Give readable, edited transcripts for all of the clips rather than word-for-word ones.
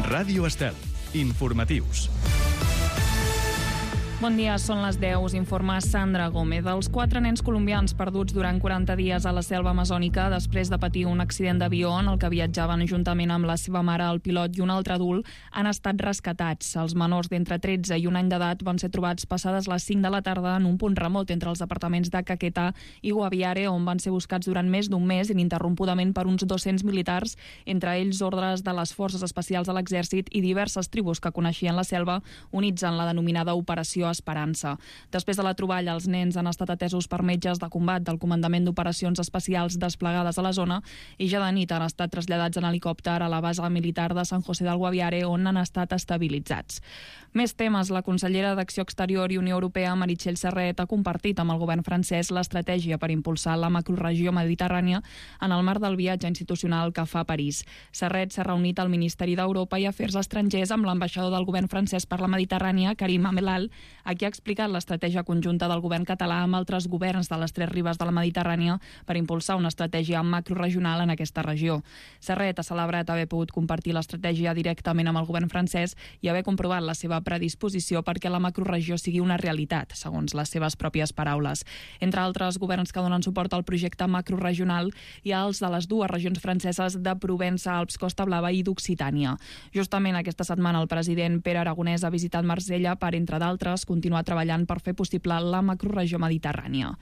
Ràdio Estel. Informatius. Bon dia, són les 10, us informa Sandra Gómez. Els 4 nens colombians perduts durant 40 dies a la selva amazònica després de patir un accident d'avió en el que viatjaven juntament amb la seva mare, el pilot i un altre adult, han estat rescatats. Els menors d'entre 13 i un any d'edat van ser trobats passades les 5 de la tarda en un punt remot entre els departaments de Caquetá i Guaviare, on van ser buscats durant més d'un mes ininterrompudament per uns 200 militars, entre ells ordres de les forces especials de l'exèrcit i diverses tribus que coneixien la selva, units en la denominada Operació Esperança. Després de la troballa, els nens han estat atesos per metges de combat del Comandament d'Operacions Especials desplegades a la zona i ja de nit han estat traslladats en helicòpter a la base militar de San José del Guaviare, on han estat estabilitzats. Més temes. La consellera d'Acció Exterior i Unió Europea, Meritxell Serret, ha compartit amb el govern francès l'estratègia per impulsar la macroregió mediterrània en el marc del viatge institucional que fa a París. Serret s'ha reunit al Ministeri d'Europa i Afers Estrangers amb l'ambaixador del govern francès per la Mediterrània, Karim Amelal, a qui ha explicat l'estratègia conjunta del govern català amb altres governs de les 3 ribes de la Mediterrània per impulsar una estratègia macroregional en aquesta regió. Serret ha celebrat haver pogut compartir l'estratègia directament amb el govern francès i haver comprovat la seva predisposició perquè la macroregió sigui una realitat, segons les seves pròpies paraules. Entre altres governs que donen suport al projecte macroregional hi ha els de les 2 regions franceses de Provença, Alps, Costa Blava i d'Occitània. Justament aquesta setmana el president Pere Aragonès ha visitat Marsella per, entre d'altres, continuar treballant per fer possible la macroregió mediterrània.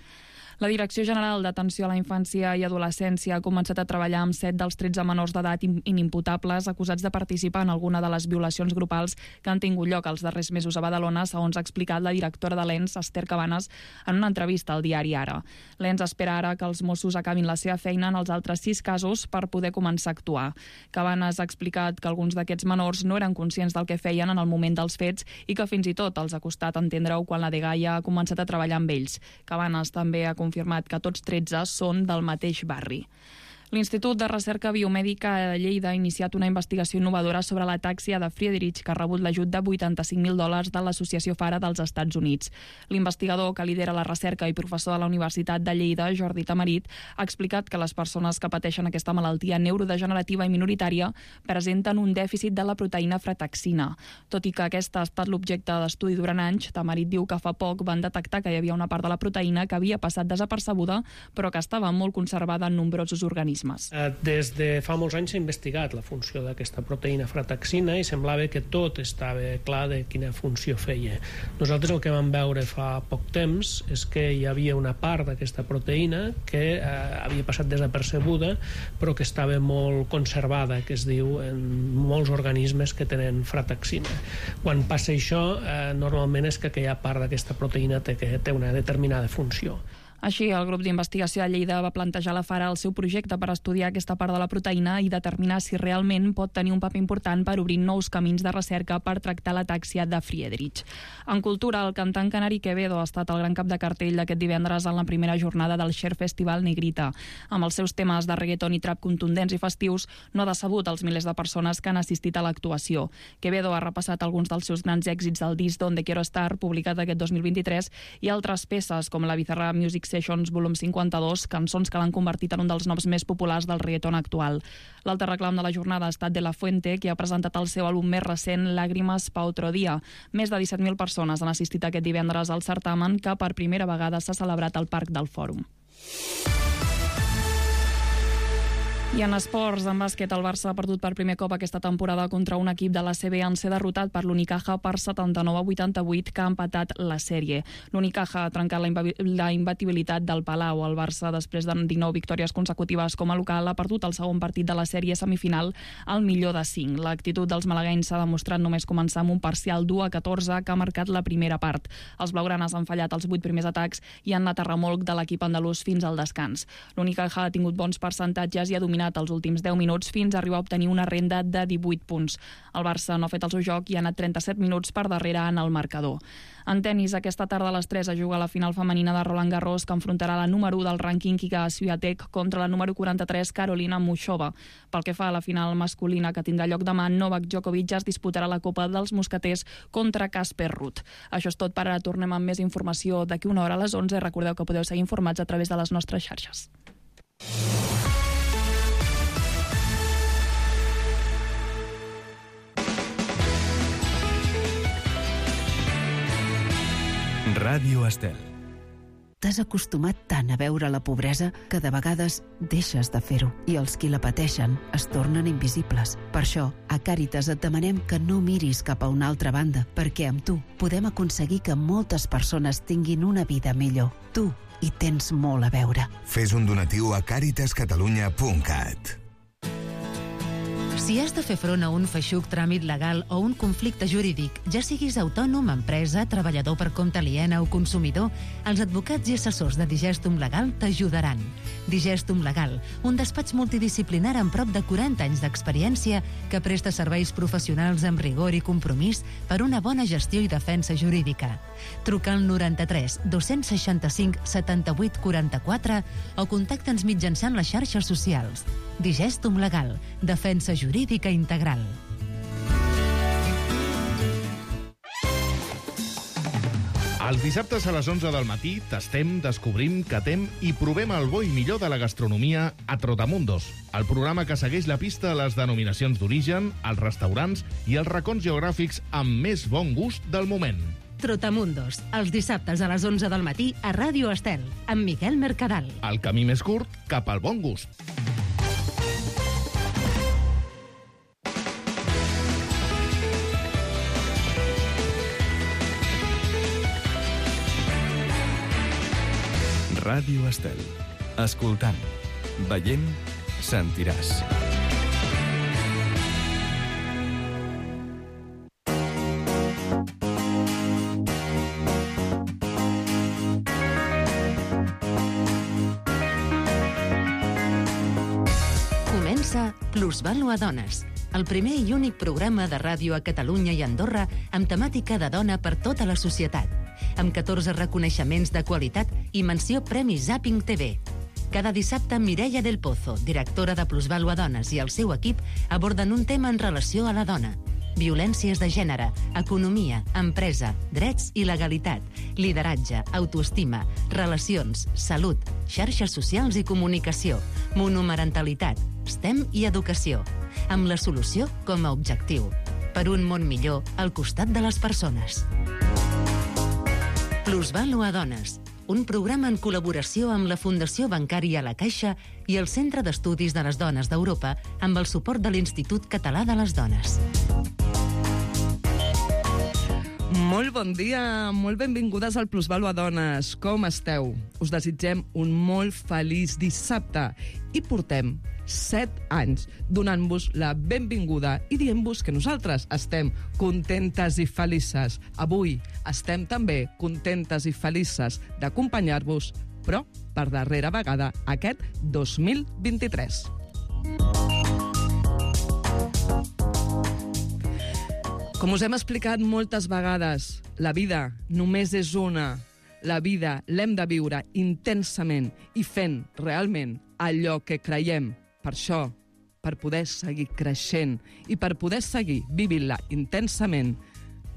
La Direcció General d'Atenció a la Infància i Adolescència ha començat a treballar amb 7 dels 13 menors d'edat inimputables acusats de participar en alguna de les violacions grupals que han tingut lloc els darrers mesos a Badalona, segons ha explicat la directora de l'ENS, Esther Cabanes, en una entrevista al diari Ara. L'ENS espera ara que els Mossos acabin la seva feina en els altres 6 casos per poder començar a actuar. Cabanes ha explicat que alguns d'aquests menors no eren conscients del que feien en el moment dels fets i que fins i tot els ha costat entendre-ho quan la dgaia ha començat a treballar amb ells. Cabanes també ha confirmat que tots 13 són del mateix barri. L'Institut de Recerca Biomèdica de Lleida ha iniciat una investigació innovadora sobre l'atàxia de Friedrich, que ha rebut l'ajut de $85.000 de l'Associació Fara dels Estats Units. L'investigador que lidera la recerca i professor de la Universitat de Lleida, Jordi Tamarit, ha explicat que les persones que pateixen aquesta malaltia neurodegenerativa i minoritària presenten un dèficit de la proteïna frataxina. Tot i que aquesta ha estat l'objecte d'estudi durant anys, Tamarit diu que fa poc van detectar que hi havia una part de la proteïna que havia passat desapercebuda, però que estava molt conservada en nombrosos organismes. Des de fa molts anys s'ha investigat la funció d'aquesta proteïna frataxina i semblava que tot estava clar de quina funció feia. Nosaltres el que vam veure fa poc temps és que hi havia una part d'aquesta proteïna que havia passat desapercebuda però que estava molt conservada, que es diu en molts organismes que tenen frataxina. Quan passa això, normalment és que aquella part d'aquesta proteïna té una determinada funció. Així, el grup d'investigació de Lleida va plantejar a la Fara el seu projecte per estudiar aquesta part de la proteïna i determinar si realment pot tenir un paper important per obrir nous camins de recerca per tractar l'atàxia de Friedrich. En cultura, el cantant canari Quevedo ha estat el gran cap de cartell d'aquest divendres en la primera jornada del Share Festival Negrita. Amb els seus temes de reggaeton i trap contundents i festius, no ha decebut els milers de persones que han assistit a l'actuació. Quevedo ha repassat alguns dels seus grans èxits del disc Donde Quiero Estar, publicat aquest 2023, i altres peces com la Bizarra Music Sessions volum 52, cançons que l'han convertit en un dels noms més populars del reggaeton actual. L'altre reclam de la jornada ha estat De La Fuente, que ha presentat el seu àlbum més recent, Lágrimas pa otro día. Més de 17.000 persones han assistit aquest divendres al certamen, que per primera vegada s'ha celebrat al Parc del Fòrum. I en esports, en bàsquet, el Barça ha perdut per primer cop aquesta temporada contra un equip de la CB en ser derrotat per l'Unicaja per 79-88, que ha empatat la sèrie. L'Unicaja ha trencat la imbatibilitat del Palau. El Barça, després de 19 victòries consecutives com a local, ha perdut el segon partit de la sèrie semifinal al millor de 5. L'actitud dels malaguenys s'ha demostrat només començar amb un parcial 2-14 que ha marcat la primera part. Els blaugranes han fallat els 8 primers atacs i han anat a remolc de l'equip andalús fins al descans. L'Unicaja ha tingut bons percentatges i ha dominat els últims 10 minuts fins a arribar a obtenir una renda de 18 punts. El Barça no ha fet el seu joc i ha anat 37 minuts per darrere en el marcador. En tenis, aquesta tarda a les 3 es juga la final femenina de Roland Garros, que enfrontarà la número 1 del rànquing Iga Swiatek contra la número 43 Karolina Muchova. Pel que fa a la final masculina que tindrà lloc demà, Novak Djokovic es disputarà la Copa dels Mosqueters contra Casper Ruud. Això és tot per ara. Tornem amb més informació d'aquí una hora a les 11. Recordeu que podeu seguir informats a través de les nostres xarxes. Ràdio Estel. T'has acostumat tant a veure la pobresa que de vegades deixes de fer-ho i els qui la pateixen es tornen invisibles. Per això, a Càritas et demanem que no miris cap a una altra banda, perquè amb tu podem aconseguir que moltes persones tinguin una vida millor. Tu hi tens molt a veure. Fes un donatiu a caritascatalunya.cat. Si has de fer front a un feixuc tràmit legal o un conflicte jurídic, ja siguis autònom, empresa, treballador per compte aliena o consumidor, els advocats i assessors de Digestum Legal t'ajudaran. Digestum Legal, un despatx multidisciplinar amb prop de 40 anys d'experiència que presta serveis professionals amb rigor i compromís per una bona gestió i defensa jurídica. Truca al 93 265 78 44 o contacta'ns mitjançant les xarxes socials. Digestum Legal, defensa jurídica integral. Els dissabtes a les 11 del matí tastem, descobrim, catem i provem el bo i millor de la gastronomia a Trotamundos, el programa que segueix la pista a les denominacions d'origen, els restaurants i els racons geogràfics amb més bon gust del moment. Trotamundos, els dissabtes a les 11 del matí a Ràdio Estel, amb Miquel Mercadal. El camí més curt cap al bon gust. Ràdio Estel. Escoltant, veient, sentiràs. Comença Plusvàlua Dones, el primer i únic programa de ràdio a Catalunya i Andorra amb temàtica de dona per tota la societat, amb 14 reconeixements de qualitat i menció Premi Zapping TV. Cada dissabte, Mireia del Pozo, directora de Plusvàlua Dones, i el seu equip aborden un tema en relació a la dona. Violències de gènere, economia, empresa, drets i legalitat, lideratge, autoestima, relacions, salut, xarxes socials i comunicació, monomarentalitat, STEM i educació, amb la solució com a objectiu. Per un món millor al costat de les persones. Plusvàlua Dones, un programa en col·laboració amb la Fundació Bancària La Caixa i el Centre d'Estudis de les Dones d'Europa amb el suport de l'Institut Català de les Dones. Molt bon dia, molt benvingudes al Plusvàlua Dones. Com esteu? Us desitgem un molt feliç dissabte i portem 7 anys donant-vos la benvinguda i dient-vos que nosaltres estem contentes i felices. Avui estem també contentes i felices d'acompanyar-vos, però per darrera vegada aquest 2023. Com us hem explicat moltes vegades, la vida només és una. La vida l'hem de viure intensament i fent realment allò que creiem. Per això, per poder seguir creixent i per poder seguir vivint-la intensament,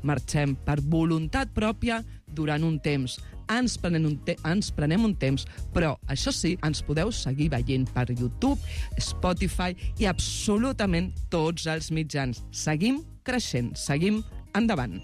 marxem per voluntat pròpia durant un temps. Ens prenem un temps, però això sí, ens podeu seguir veient per YouTube, Spotify i absolutament tots els mitjans. Seguim creixent, seguim endavant.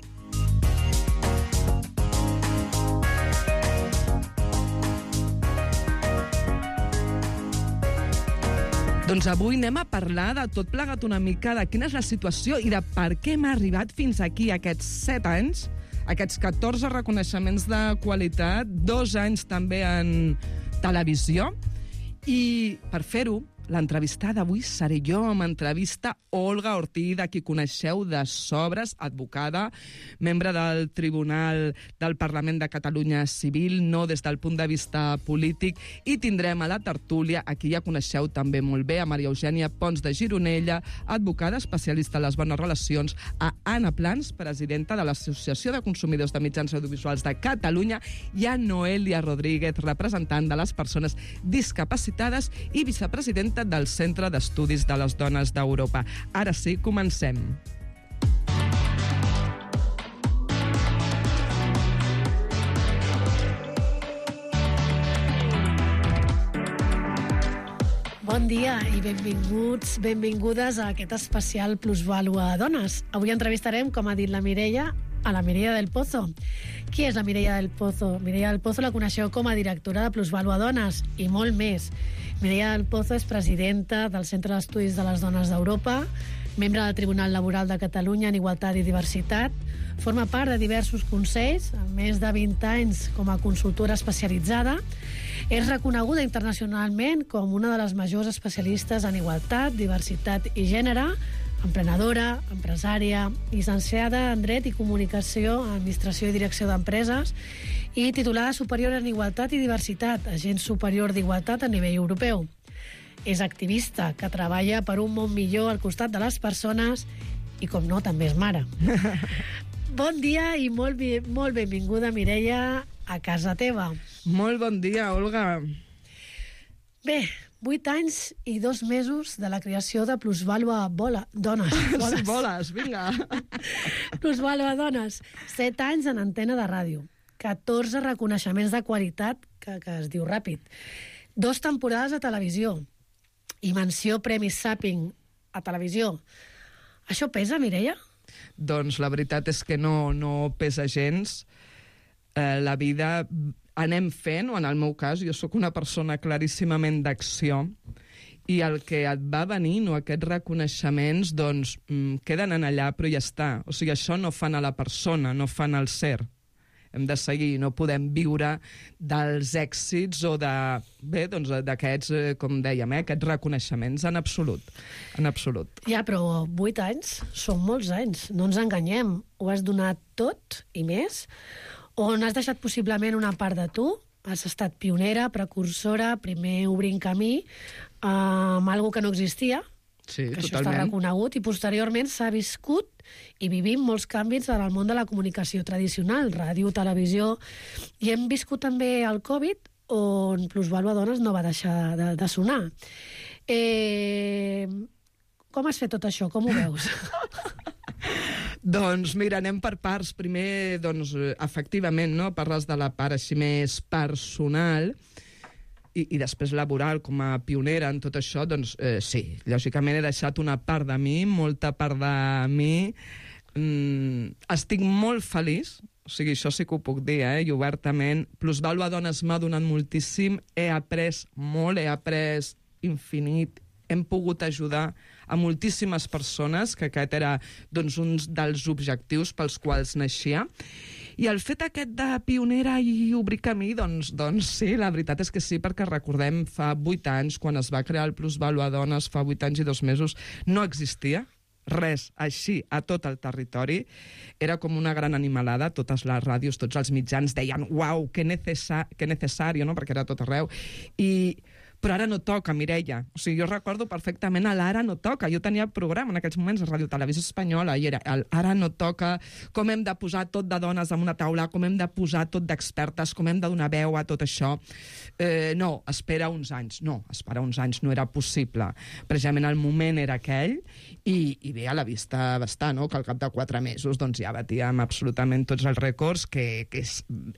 Doncs avui anem a parlar de tot plegat una mica de quina és la situació i de per què hem arribat fins aquí aquests 7 anys, aquests 14 reconeixements de qualitat, 2 anys també en televisió. I per fer-ho, l'entrevistada d'avui seré jo, m'entrevista Olga Ortiz, a qui coneixeu de sobres, advocada, membre del Tribunal del Parlament de Catalunya Civil, no des del punt de vista polític, i tindrem a la tertúlia, a qui ja coneixeu també molt bé, a Maria Eugènia Pons de Gironella, advocada especialista en les bones relacions, a Anna Plans, presidenta de l'Associació de Consumidors de Mitjans Audiovisuals de Catalunya, i a Noelia Rodríguez, representant de les persones discapacitades i vicepresidenta del Centre d'Estudis de les Dones d'Europa. Ara sí, comencem. Bon dia i benvingudes a aquest especial Plusvàlua Dones. Avui entrevistarem, com ha dit la Mireia, a la Mireia del Pozo. Qui és la Mireia del Pozo? Mireia del Pozo la coneixeu com a directora de Plusvàlua Dones i molt més. Mireia del Pozo és presidenta del Centre d'Estudis de les Dones d'Europa, membre del Tribunal Laboral de Catalunya en Igualtat i Diversitat, forma part de diversos consells, amb més de 20 anys com a consultora especialitzada. És reconeguda internacionalment com una de les majors especialistes en igualtat, diversitat i gènere, emprenedora, empresària, llicenciada en Dret i Comunicació, Administració i Direcció d'Empreses i titulada superior en Igualtat i Diversitat, agent superior d'Igualtat a nivell europeu. És activista que treballa per un món millor al costat de les persones i, com no, també és mare. Bon dia i molt benvinguda, Mireia, a casa teva. Molt bon dia, Olga. Bé, 8 anys i 2 mesos de la creació de Plusvàlua Dones. Boles, vinga. Plusvàlua Dones. 7 anys en antena de ràdio. 14 reconeixements de qualitat, que es diu ràpid. 2 temporades a televisió. I menció Premi Zapping a televisió. Això pesa, Mireia? Doncs la veritat és que no pesa gens. La vida anem fent, o en el meu cas, jo sóc una persona claríssimament d'acció, i el que et va venint, o aquests reconeixements, doncs, queden en allà, però ja està. O sigui, això no fan a la persona, no fan al ser. Hem de seguir, no podem viure dels èxits o d'aquests, com dèiem, aquests reconeixements, en absolut. En absolut. Ja, però 8 anys són molts anys, no ens enganyem. Ho has donat tot i més? O n'has deixat possiblement una part de tu? Has estat pionera, precursora, primer obrint camí amb alguna que no existia, sí, que totalment. Això està reconegut, i posteriorment s'ha viscut i vivim molts canvis en el món de la comunicació tradicional, ràdio, televisió, i hem viscut també el Covid, on Plusvàlua Dones no va deixar de sonar. Com has fet tot això? Com ho veus? Doncs mira, anem per parts. Primer, doncs, efectivament, no? Parles de la part així més personal i després laboral, com a pionera en tot això, doncs sí, lògicament he deixat una part de mi, molta part de mi. Estic molt feliç, o sigui, això sí que ho puc dir, i obertament. Plusvàlua Dones m'ha donat moltíssim, he après molt, he après infinit, hem pogut ajudar a moltíssimes persones, que aquest era doncs, un dels objectius pels quals naixia. I el fet aquest de pionera i obrir camí, doncs sí, la veritat és que sí, perquè recordem, fa 8 anys, quan es va crear el Plusvàlua Dones, fa 8 anys i 2 mesos, no existia res així a tot el territori. Era com una gran animalada, totes les ràdios, tots els mitjans deien «Uau, que necessari», no? Perquè era a tot arreu. Però ara no toca, Mireia. O sigui, jo recordo perfectament l'Ara no toca. Jo tenia programa en aquells moments a Ràdio Televisió Espanyola i era Ara no toca, com hem de posar tot de dones en una taula, com hem de posar tot d'expertes, com hem de donar veu a tot això. No, espera uns anys. No, esperar uns anys no era possible. Precisament el moment era aquell i bé, a la vista va no? Que al cap de 4 mesos doncs, ja batíem absolutament tots els rècords, que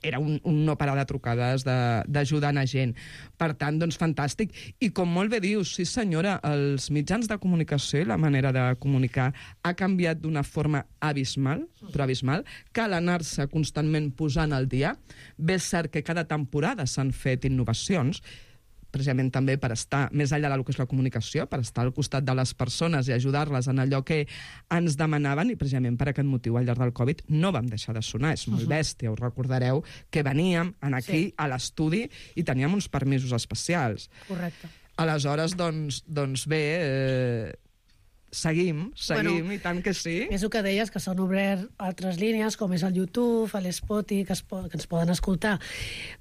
era un no parar de trucades d'ajudant a gent. Per tant, doncs, fantàstic. I com molt bé dius, sí senyora, els mitjans de comunicació i la manera de comunicar ha canviat d'una forma abismal, però abismal. Cal anar-se constantment posant al dia. Bé, és cert que cada temporada s'han fet innovacions, precisament també per estar més enllà del que és la comunicació, per estar al costat de les persones i ajudar-les en allò que ens demanaven, i precisament per aquest motiu al llarg del Covid no vam deixar de sonar. És molt bèstia, us recordareu que veníem aquí a l'estudi i teníem uns permisos especials. Correcte. Aleshores, doncs bé, seguim, bueno, i tant que sí. És el que deies, que s'han obert altres línies, com és el YouTube, l'Spotify, que ens poden escoltar.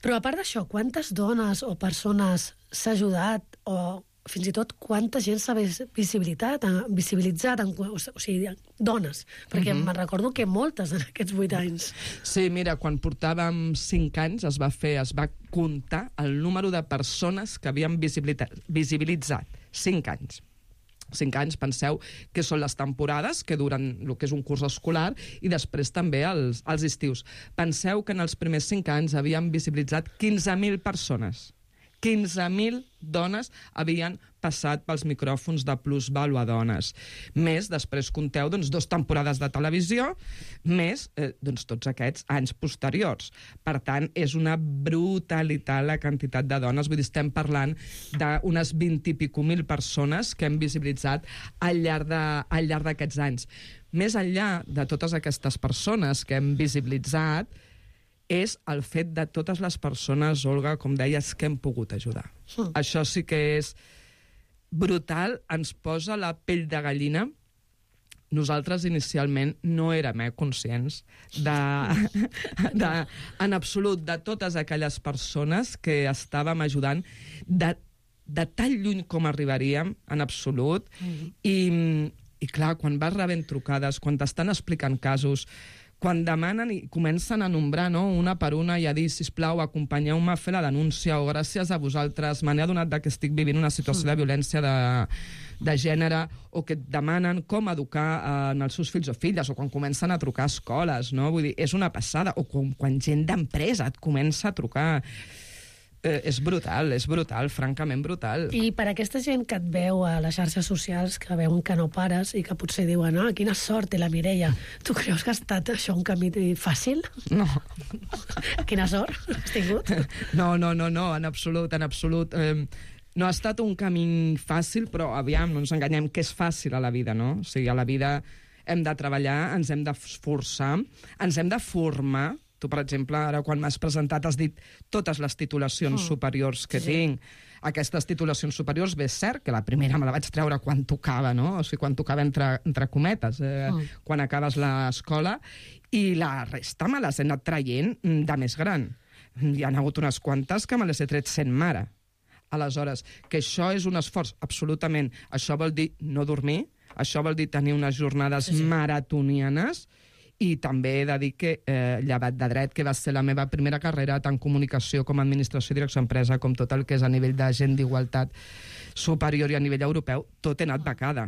Però a part d'això, quantes dones o persones s'ha ajudat, o fins i tot quanta gent s'ha visibilitzat, o sigui, dones, perquè me'n recordo que moltes en aquests 8 anys. Sí, mira, quan portàvem 5 anys es va comptar el número de persones que havien visibilitzat. 5 anys. 5 anys, penseu que són les temporades, que duren el que és un curs escolar, i després també els estius. Penseu que en els primers 5 anys havíem visibilitzat 15.000 persones. 15.000 dones havien passat pels micròfons de Plusvalua Dones. Més, després compteu 2 temporades de televisió, més tots aquests anys posteriors. Per tant, és una brutalitat la quantitat de dones. Vull dir, estem parlant d'unes 20 i pico mil persones que hem visibilitzat al llarg d'aquests anys. Més enllà de totes aquestes persones que hem visibilitzat, és el fet de totes les persones, Olga, com deies, que hem pogut ajudar. Això sí que és brutal, ens posa la pell de gallina. Nosaltres inicialment no érem conscients en absolut de totes aquelles persones que estàvem ajudant, de tan lluny com arribaríem, en absolut. I clar, quan vas rebent trucades, quan t'estan explicant casos, quan demanen i comencen a nombrar, no, una per una i a dir, sisplau, acompanyeu-me a fer la denúncia, o gràcies a vosaltres m'he adonat que estic vivint una situació de violència de gènere, o que et demanen com educar en els seus fills o filles, o quan comencen a trucar a escoles, no? Vull dir, és una passada. O quan gent d'empresa et comença a trucar. És brutal, francament brutal. I per aquesta gent que et veu a les xarxes socials, que veuen que no pares i que potser diuen, quina sort té la Mireia, tu creus que ha estat això un camí fàcil? No. Quina sort has tingut? No, en absolut. No ha estat un camí fàcil, però aviam, no ens enganyem, que és fàcil a la vida, no? O sigui, a la vida hem de treballar, ens hem d'esforçar, ens hem de formar. Tu, per exemple, ara quan m'has presentat has dit totes les titulacions superiors que tinc. Aquestes titulacions superiors, bé, és cert que la primera me la vaig treure quan tocava, no? O sigui, quan tocava entre cometes, quan acabes l'escola, i la resta me les he anat traient de més gran. Hi ha hagut unes quantes que me les he tret sent mare. Aleshores, que això és un esforç, absolutament. Això vol dir no dormir, això vol dir tenir unes jornades maratonianes. I també he de dir que llevat de dret, que va ser la meva primera carrera, tant comunicació com administració i direcció d'empresa, com tot el que és a nivell de gent d'igualtat superior i a nivell europeu, tot he anat becada.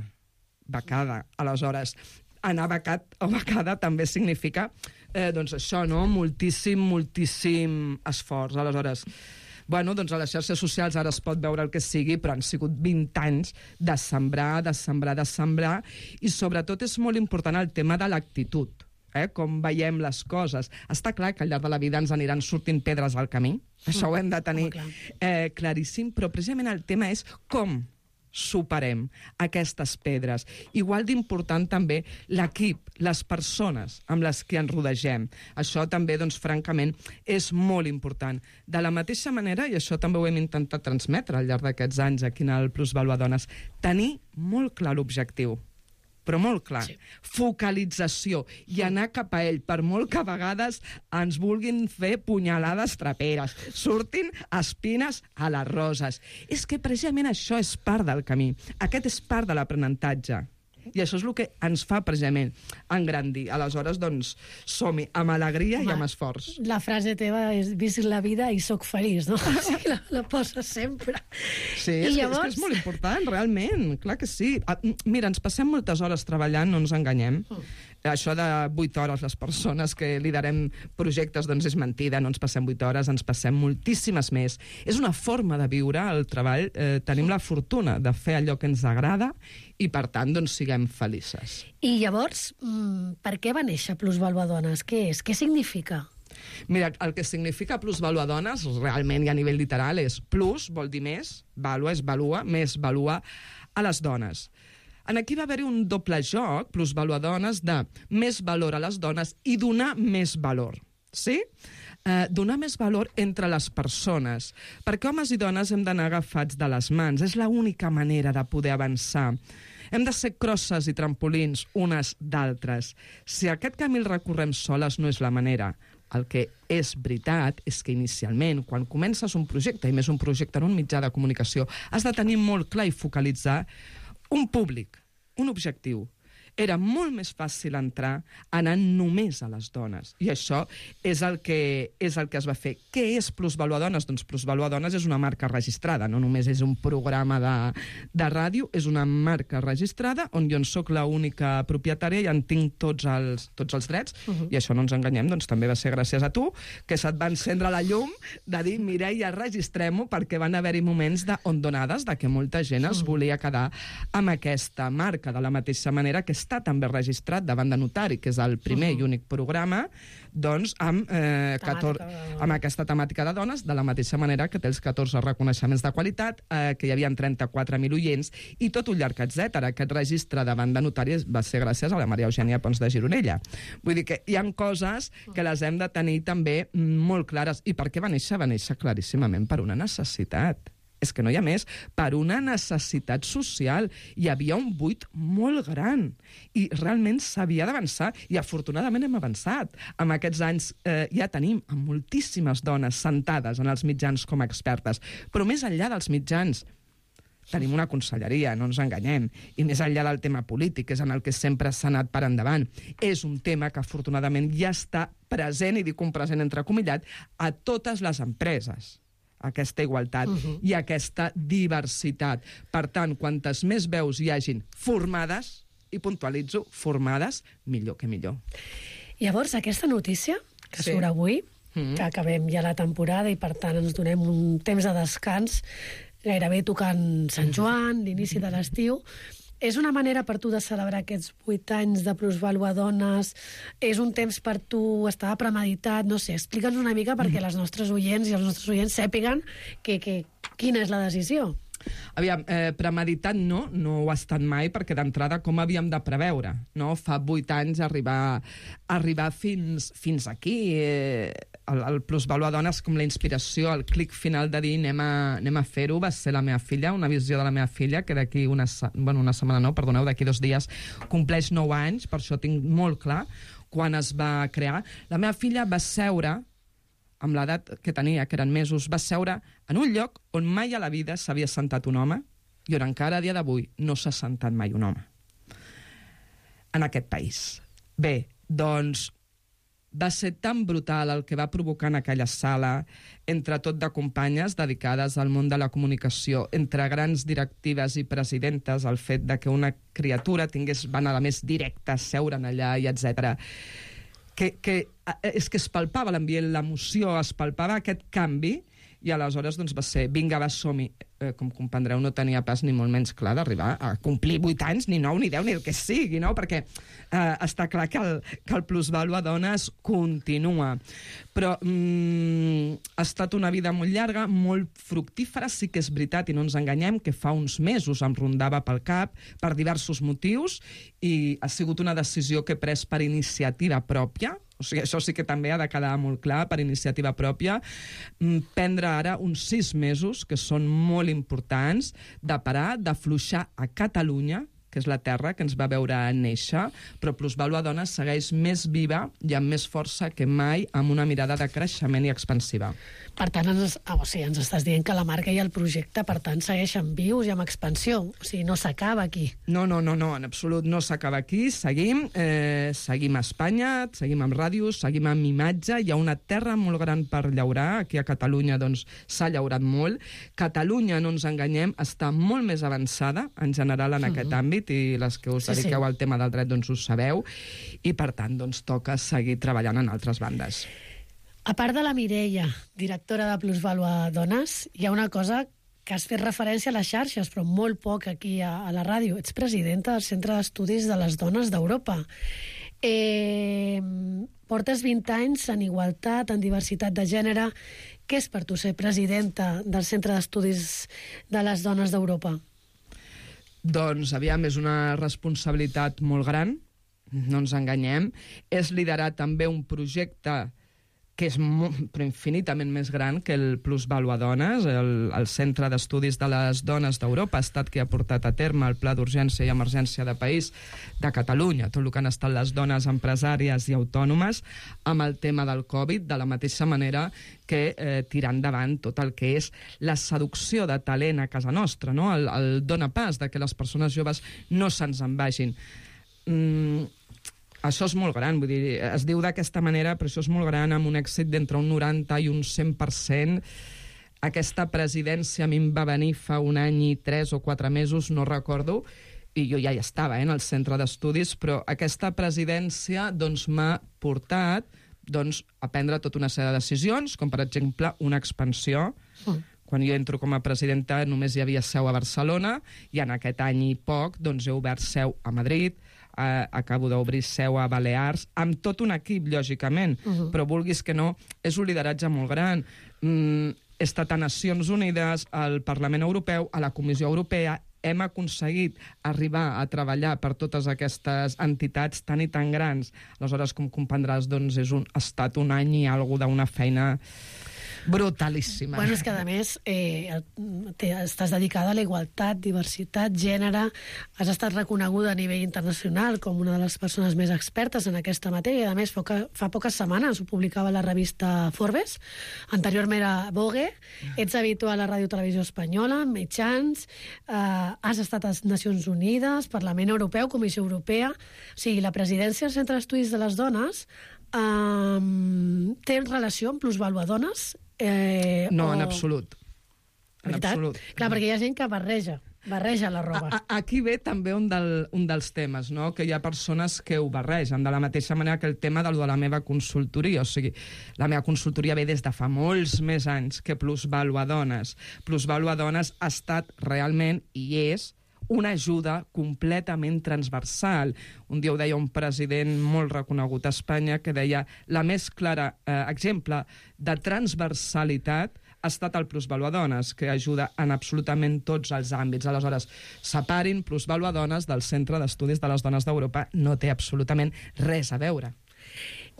Aleshores, anar becat o becada també significa, doncs això, no? Moltíssim esforç. Aleshores, bueno, doncs a les xarxes socials ara es pot veure el que sigui, però han sigut 20 anys de sembrar, i sobretot és molt important el tema de l'actitud. Com veiem les coses. Està clar que al llarg de la vida ens aniran sortint pedres al camí, això ho hem de tenir claríssim, però precisament el tema és com superem aquestes pedres. Igual d'important també l'equip, les persones amb les que ens rodegem. Això també, doncs, francament, és molt important. De la mateixa manera, i això també ho hem intentat transmetre al llarg d'aquests anys aquí en el Plusvalua Dones, tenir molt clar l'objectiu, però molt clar. Focalització i anar cap a ell, per molt que a vegades ens vulguin fer punyalades traperes, surtin espines a les roses. És que precisament això és part del camí. Aquest és part de l'aprenentatge. I això és el que ens fa precisament engrandir. Aleshores, doncs, som-hi amb alegria i amb esforç. La frase teva és visc la vida i soc feliç, no? O sigui, la poses sempre. Sí, és que és molt important, realment. Clar que sí. Mira, ens passem moltes hores treballant, no ens enganyem. Això de 8 hores, les persones que liderem projectes, doncs és mentida, no ens passem 8 hores, ens passem moltíssimes més. És una forma de viure el treball. Tenim la fortuna de fer allò que ens agrada i, per tant, doncs, siguem felices. I llavors, per què va néixer Plusvalua Dones? Què és? Què significa? Mira, el que significa Plusvalua Dones, realment i a nivell literal, és plus, vol dir més, valua és valua, més valua a les dones. Aquí va haver-hi un doble joc, Plusvalua Dones, de més valor a les dones i donar més valor. Sí? Donar més valor entre les persones. Perquè homes i dones hem d'anar agafats de les mans. És l'única manera de poder avançar. Hem de ser crosses i trampolins unes d'altres. Si aquest camí el recorrem soles no és la manera. El que és veritat és que inicialment, quan comences un projecte, i més un projecte en un mitjà de comunicació, has de tenir molt clar i focalitzar un públic, un objectiu. era molt més fàcil entrar anant només a les dones. I això és el que es va fer. Què és Plusvalua Dones? Doncs Plusvalua Dones és una marca registrada, no només és un programa de ràdio, és una marca registrada on jo en soc l'única propietària i en tinc tots els drets, i això no ens enganyem, doncs també va ser gràcies a tu, que se't va encendre la llum de dir, Mireia, registrem-ho, perquè van haver-hi moments d'ondonades, de que molta gent es volia quedar amb aquesta marca, de la mateixa manera que està també registrat davant de notari, que és el primer i únic programa, doncs amb aquesta temàtica de dones, de la mateixa manera que té els 14 reconeixements de qualitat, que hi havia 34.000 oients, i tot un llarg etcètera. Aquest registre davant de notari va ser gràcies a la Maria Eugènia Pons de Gironella. Vull dir que hi ha coses que les hem de tenir també molt clares. I per què va néixer? Va néixer claríssimament per una necessitat. És que no hi ha més, per una necessitat social. Hi havia un buit molt gran i realment s'havia d'avançar, i afortunadament hem avançat. En aquests anys ja tenim moltíssimes dones sentades en els mitjans com a expertes, però més enllà dels mitjans tenim una conselleria, no ens enganyem, i més enllà del tema polític, és en el que sempre s'ha anat per endavant. És un tema que afortunadament ja està present, i dic un present entrecomillat, a totes les empreses, aquesta igualtat i aquesta diversitat. Per tant, quantes més veus hi hagin formades, i puntualitzo, formades, millor que millor. Llavors, aquesta notícia que surt avui, que acabem ja la temporada i per tant ens donem un temps de descans, gairebé tocant Sant Joan, l'inici de l'estiu, és una manera per tu de celebrar aquests 8 anys de Plusvalua Dones? És un temps per tu, estava premeditat? No sé, explica'ns una mica perquè les nostres oients i els nostres oients sàpiguen quina és la decisió. Aviam, premeditat no ho ha estat mai, perquè d'entrada com havíem de preveure, no? Fa 8 anys arribar fins aquí. El Plusvalua Dones, com la inspiració, el clic final de dir anem a fer-ho, va ser la meva filla, una visió de la meva filla, que d'aquí d'aquí 2 dies compleix 9 anys, per això tinc molt clar quan es va crear. La meva filla va seure, amb l'edat que tenia, que eren mesos, va seure en un lloc on mai a la vida s'havia sentat un home, i on encara a dia d'avui no s'ha sentat mai un home en aquest país. Bé, doncs va ser tan brutal el que va provocar en aquella sala, entre tot de companyes dedicades al món de la comunicació, entre grans directives i presidentes, el fet de que una criatura tingués vanada més directa, seure'n allà i etc. És que es palpava l'ambient, l'emoció, es palpava aquest canvi, i aleshores doncs, va ser, vinga, va, som-hi. Com comprendreu, no tenia pas ni molt menys clar d'arribar a complir 8 anys, ni 9, ni 10, ni el que sigui, no? Perquè està clar que el Plusvalua Dones continua. Però ha estat una vida molt llarga, molt fructífera, sí que és veritat, i no ens enganyem, que fa uns mesos em rondava pel cap per diversos motius, i ha sigut una decisió que he pres per iniciativa pròpia. O sigui, això sí que també ha de quedar molt clar, per iniciativa pròpia. Prendre ara uns 6 mesos, que són molt importants, de parar, d'afluixar a Catalunya, que és la terra que ens va veure néixer, però Plusvalua Dones segueix més viva i amb més força que mai, amb una mirada de creixement i expansiva. Per tant, ens estàs dient que la marca i el projecte, per tant, segueixen vius i amb expansió. O sigui, no s'acaba aquí. No, en absolut no s'acaba aquí. Seguim a Espanya, seguim amb ràdios, seguim amb imatge. Hi ha una terra molt gran per llaurar. Aquí a Catalunya doncs, s'ha llaurat molt. Catalunya, no ens enganyem, està molt més avançada, en general, en aquest àmbit, i les que us dediqueu al tema del dret doncs ho sabeu, i per tant doncs toca seguir treballant en altres bandes. A part de la Mireia, directora de Plusvalua Dones, hi ha una cosa que has fet referència a les xarxes, però molt poc aquí a la ràdio. Ets presidenta del Centre d'Estudis de les Dones d'Europa. Portes 20 anys en igualtat, en diversitat de gènere. Què és per tu ser presidenta del Centre d'Estudis de les Dones d'Europa? Doncs, aviam, és una responsabilitat molt gran, no ens enganyem. És liderar també un projecte que és però infinitament més gran que el Plusvalua Dones. El Centre d'Estudis de les Dones d'Europa ha estat qui ha portat a terme el Pla d'Urgència i Emergència de País de Catalunya, tot el que han estat les dones empresàries i autònomes amb el tema del Covid, de la mateixa manera que tirar endavant tot el que és la seducció de talent a casa nostra, no? El dona pas de que les persones joves no se'ns en vagin. això és molt gran, vull dir, es diu d'aquesta manera, però això és molt gran, amb un èxit d'entre un 90 i un 100%. Aquesta presidència a mi em va venir fa un any i 3 o 4 mesos, no recordo, i jo ja hi estava, en el centre d'estudis, però aquesta presidència doncs, m'ha portat a prendre tota una sèrie de decisions, com per exemple una expansió. Quan jo entro com a presidenta només hi havia seu a Barcelona, i en aquest any i poc doncs, he obert seu a Madrid, acabo d'obrir seu a Balears, amb tot un equip, lògicament, però vulguis que no, és un lideratge molt gran. He estat a Nacions Unides, al Parlament Europeu, a la Comissió Europea, hem aconseguit arribar a treballar per totes aquestes entitats tan i tan grans. Aleshores, com comprendràs, doncs, ha estat un any i alguna d'una feina brutalíssima. Bueno, és que, a més, estàs dedicada a la igualtat, diversitat, gènere, has estat reconeguda a nivell internacional com una de les persones més expertes en aquesta matèria, i, a més, fa poques setmanes ho publicava la revista Forbes, anteriorment era Vogue, ets habitual a la Ràdio Televisió Espanyola, mitjans, has estat a les Nacions Unides, Parlament Europeu, Comissió Europea, o sigui, la presidència del Centre d'Estudis de les Dones té relació amb plusvàlua dones? No, en absolut. En absolut. Clar, perquè hi ha gent que barreja la roba. Aquí ve també un dels temes, no? Que hi ha persones que ho barregen, de la mateixa manera que el tema de la meva consultoria. O sigui, la meva consultoria ve des de fa molts més anys que Plusvàlua Dones. Plusvàlua Dones ha estat realment, i és, una ajuda completament transversal. Un dia ho deia un president molt reconegut a Espanya, que deia la més clara exemple de transversalitat ha estat el Plusvàlua Dones, que ajuda en absolutament tots els àmbits. Aleshores, separin Plusvàlua Dones del Centre d'Estudis de les Dones d'Europa. No té absolutament res a veure.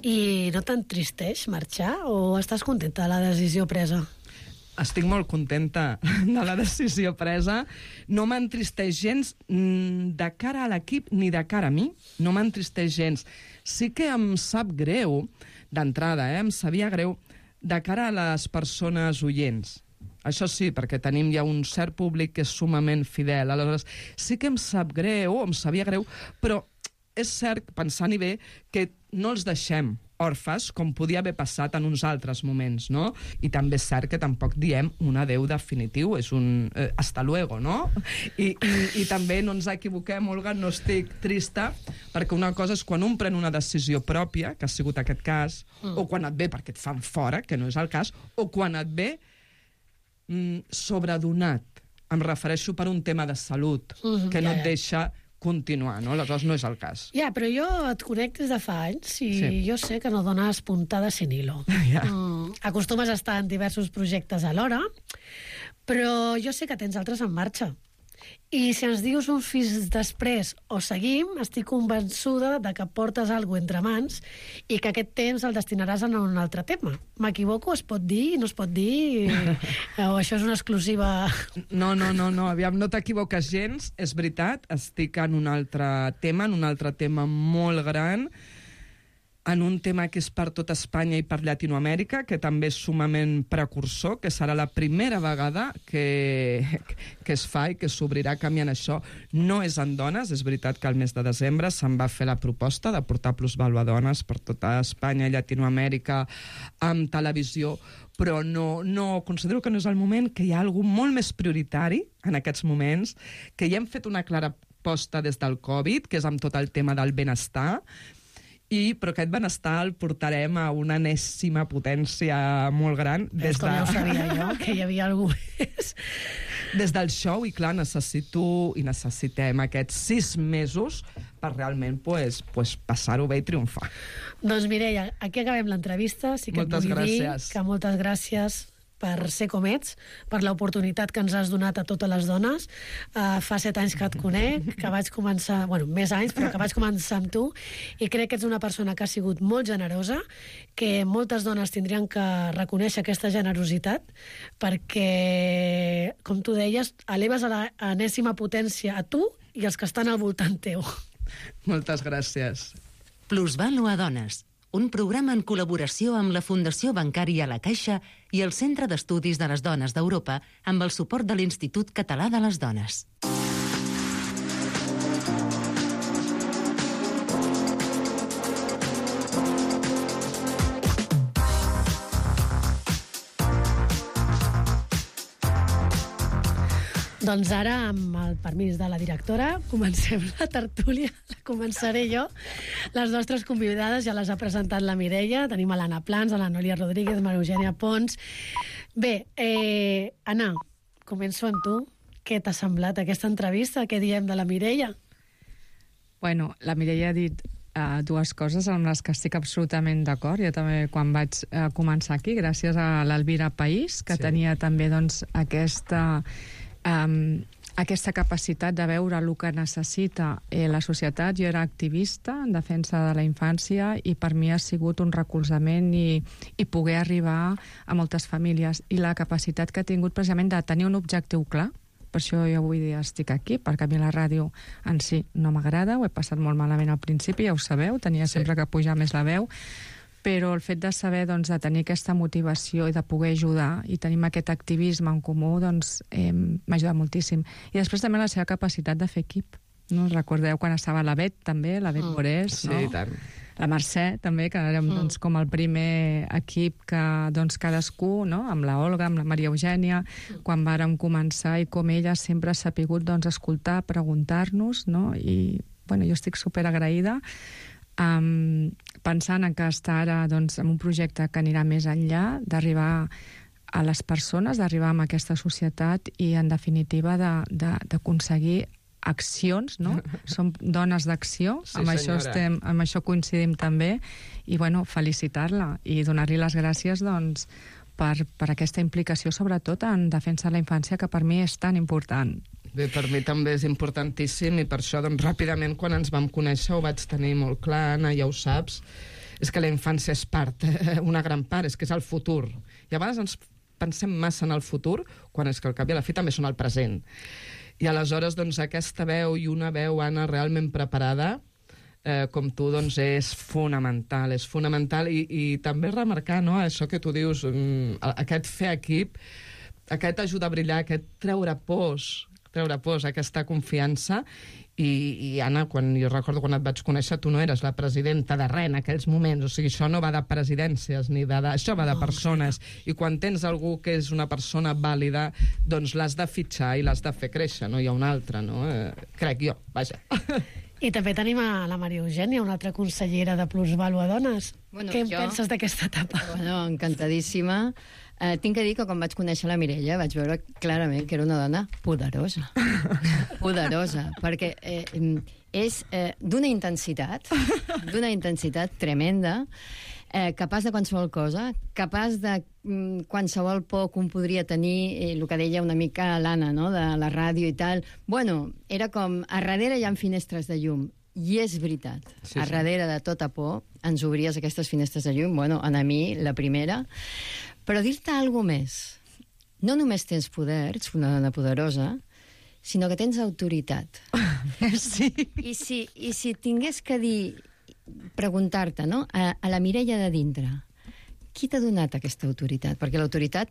I no t'entristeix marxar o estàs contenta de la decisió presa? Estic molt contenta de la decisió presa. No m'entristeix gens de cara a l'equip ni de cara a mi. No m'entristeix gens. Sí que em sap greu, d'entrada, em sabia greu, de cara a les persones oients. Això sí, perquè tenim ja un cert públic que és sumament fidel. Aleshores, sí que em sap greu, em sabia greu, però és cert, pensant-hi bé, que no els deixem orfes, com podia haver passat en uns altres moments, no? I també és cert que tampoc diem un adeu definitiu, és un hasta luego, no? I també no ens equivoquem, Olga, no estic trista, perquè una cosa és quan un pren una decisió pròpia, que ha sigut aquest cas, o quan et ve perquè et fan fora, que no és el cas, o quan et ve sobredonat. Em refereixo per un tema de salut, que no et deixa continuar, no? Aleshores no és el cas. Ja, però jo et conec des de fa anys i jo sé que no dones puntada sin hilo. Acostumes a estar en diversos projectes alhora, però jo sé que tens altres en marxa. I si ens dius un fins després o seguim, estic convençuda de que portes alguna cosa entre mans i que aquest temps el destinaràs a un altre tema. M'equivoco? Es pot dir? No es pot dir? O això és una exclusiva? No, aviam, no t'equivoques gens, és veritat, estic en un altre tema molt gran, en un tema que és per tot Espanya i per Llatinoamèrica, que també és sumament precursor, que serà la primera vegada que es fa i que s'obrirà canviant això. No és en dones, és veritat que al mes de desembre se'n va fer la proposta de portar Plusvàlua Dones per tota Espanya i Llatinoamèrica amb televisió, però no considero que no és el moment, que hi ha alguna molt més prioritari en aquests moments, que ja hem fet una clara aposta des del Covid, que és amb tot el tema del benestar, però aquest benestar el portarem a una enèsima potència molt gran. Com ja ho sabia jo, que hi havia algú més. Des del show, i clar, necessitem aquests 6 mesos per realment passar-ho bé i triomfar. Doncs Mireia, aquí acabem l'entrevista. Sí que moltes gràcies. Que moltes gràcies per ser com ets, per l'oportunitat que ens has donat a totes les dones. Fa 7 anys que et conec, que vaig començar, més anys, però que vaig començar amb tu, i crec que ets una persona que ha sigut molt generosa, que moltes dones tindrien que reconèixer aquesta generositat, perquè, com tu deies, eleves a l'enèsima potència a tu i els que estan al voltant teu. Moltes gràcies. Plusvàlua Dones, un programa en col·laboració amb la Fundació Bancària La Caixa i el Centre d'Estudis de les Dones d'Europa amb el suport de l'Institut Català de les Dones. Doncs ara, amb el permís de la directora, comencem la tertúlia. La començaré jo. Les nostres convidades ja les ha presentat la Mireia. Tenim a l'Anna Plans, a la Núria Rodríguez, Maria Eugènia Pons. Bé, Anna, començo amb tu. Què t'ha semblat aquesta entrevista? Què diem de la Mireia? Bueno, la Mireia ha dit dues coses amb les que estic absolutament d'acord. Jo també, quan vaig començar aquí, gràcies a l'Elvira País, que tenia també doncs, aquesta capacitat de veure el que necessita la societat. Jo era activista en defensa de la infància i per mi ha sigut un recolzament i poder arribar a moltes famílies. I la capacitat que ha tingut precisament de tenir un objectiu clar. Per això jo avui dia estic aquí, perquè a mi la ràdio en si no m'agrada, ho he passat molt malament al principi, ja ho sabeu, tenia sempre que pujar més la veu, però el fet de saber, doncs, de tenir aquesta motivació i de poder ajudar i tenim aquest activisme en comú, doncs, m'ha ajudat moltíssim. I després també la seva capacitat de fer equip. No? Recordeu quan estava la Bet, també, la Bet Borés, no? Sí, tant. La Mercè, també, que érem doncs, com el primer equip que doncs, cadascú, no? Amb la Olga, amb la Maria Eugènia, quan vàrem començar i com ella sempre s'ha pogut doncs, escoltar, preguntar-nos, no? I bueno, jo estic superagraïda pensant en que està ara doncs, en un projecte que anirà més enllà, d'arribar a les persones, d'arribar a aquesta societat i, en definitiva, d'aconseguir accions, no? Som dones d'acció, sí, amb això coincidim també, i bueno, felicitar-la i donar-li les gràcies doncs, per aquesta implicació, sobretot en defensa de la infància, que per mi és tan important. Bé, per mi també és importantíssim i per això, doncs, ràpidament, quan ens vam conèixer ho vaig tenir molt clar, Anna, ja ho saps, és que la infància és part, una gran part, és que és el futur. I a vegades ens pensem massa en el futur, quan és que al cap i a la fi també són el present. I aleshores, doncs, aquesta veu i una veu, Anna, realment preparada, com tu, doncs, és fonamental i també remarcar, no?, això que tu dius, aquest fer equip, aquest ajudar a brillar, aquest treure pors, aquesta confiança. I Anna, jo recordo quan et vaig conèixer, tu no eres la presidenta de res en aquells moments, o sigui, això no va de presidències, això va de persones, i quan tens algú que és una persona vàlida, doncs l'has de fitxar i l'has de fer créixer, no hi ha una altra, no? Crec jo, vaja. I també tenim a la Maria Eugènia, una altra consellera de Plusvalua Dones. Bueno, què en penses d'aquesta etapa? Bueno, encantadíssima. Tinc que dir que quan vaig conèixer la Mireia vaig veure clarament que era una dona poderosa. Poderosa, perquè és d'una intensitat tremenda, capaç de qualsevol cosa, capaç de qualsevol por que un podria tenir, el que deia una mica l'Anna, no?, de la ràdio i tal. Bueno, era com, a darrere hi ha finestres de llum. I és veritat, a darrere de tota por ens obries aquestes finestres de llum, bueno, a mi, la primera. Però dir-te alguna més, no només tens poder, ets una dona poderosa, sinó que tens autoritat. Sí. I si tingués que dir, preguntar-te, no?, a la Mireia de dintre, qui t'ha donat aquesta autoritat? Perquè l'autoritat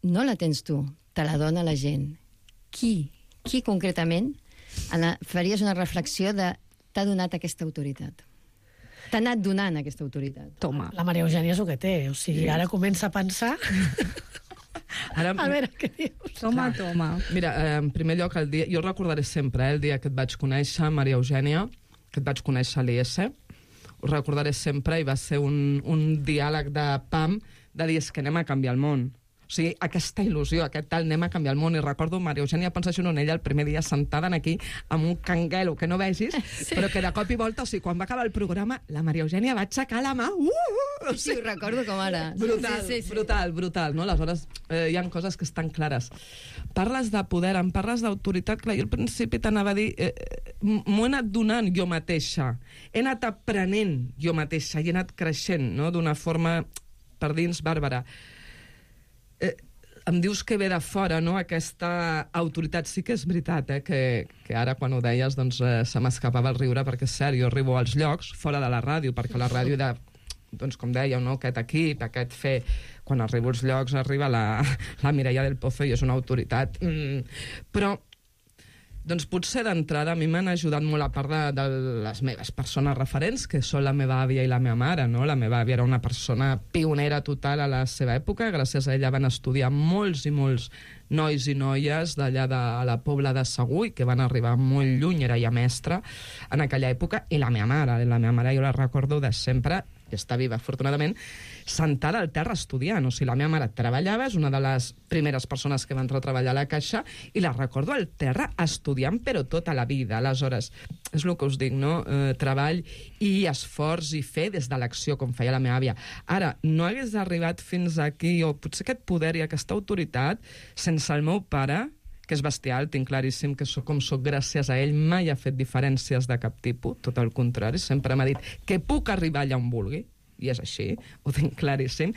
no la tens tu, te la dona la gent. Qui concretament, faries una reflexió de t'ha donat aquesta autoritat? T'ha anat donant aquesta autoritat. Toma. La Maria Eugènia és el que té, o sigui, ara comença a pensar... Ara, a veure què dius. Toma. Mira, en primer lloc, jo recordaré sempre, el dia que et vaig conèixer, Maria Eugènia, que et vaig conèixer a l'IS, ho recordaré sempre, i va ser un diàleg de pam, de dir, és que anem a canviar el món. O sigui, aquesta il·lusió, aquest tal, anem a canviar el món. I recordo Maria Eugènia pensar en ella el primer dia sentada aquí amb un canguelo que no vegis, però que de cop i volta, o sigui, quan va acabar el programa, la Maria Eugènia va aixecar la mà. Sí, ho recordo com ara. Brutal, no? Aleshores, hi ha coses que estan clares. Parles de poder, em parles d'autoritat, clar, jo al principi t'anava a dir, m'ho he anat donant jo mateixa, he anat aprenent jo mateixa i he anat creixent, no?, d'una forma per dins bàrbara. Em dius que ve de fora, no?, aquesta autoritat. Sí que és veritat, que ara, quan ho deies, doncs se m'escapava el riure, perquè és cert, jo arribo als llocs fora de la ràdio, perquè la ràdio doncs, com dèieu, no?, aquest equip, aquest fer... Quan arribo als llocs arriba la Mireia del Pozo i és una autoritat. Però Doncs potser d'entrada a mi m'han ajudat molt, a part de les meves persones referents, que són la meva àvia i la meva mare, no? La meva àvia era una persona pionera total a la seva època, gràcies a ella van estudiar molts i molts nois i noies d'allà de la Pobla de Segur, i que van arribar molt lluny, era ja mestra en aquella època, i la meva mare jo la recordo de sempre, que està viva afortunadament, sentada al terra estudiant. O sigui, la meva mare treballava, és una de les primeres persones que va entrar a treballar a la Caixa, i la recordo al terra estudiant, però tota la vida. Aleshores, és el que us dic, no? Treball i esforç i fer des de l'acció, com feia la meva àvia. Ara, no hagués arribat fins aquí, o potser aquest poder i aquesta autoritat, sense el meu pare, que és bestial, tinc claríssim que com soc gràcies a ell, mai ha fet diferències de cap tipus, tot el contrari, sempre m'ha dit que puc arribar allà on vulgui, i és així, ho tinc claríssim.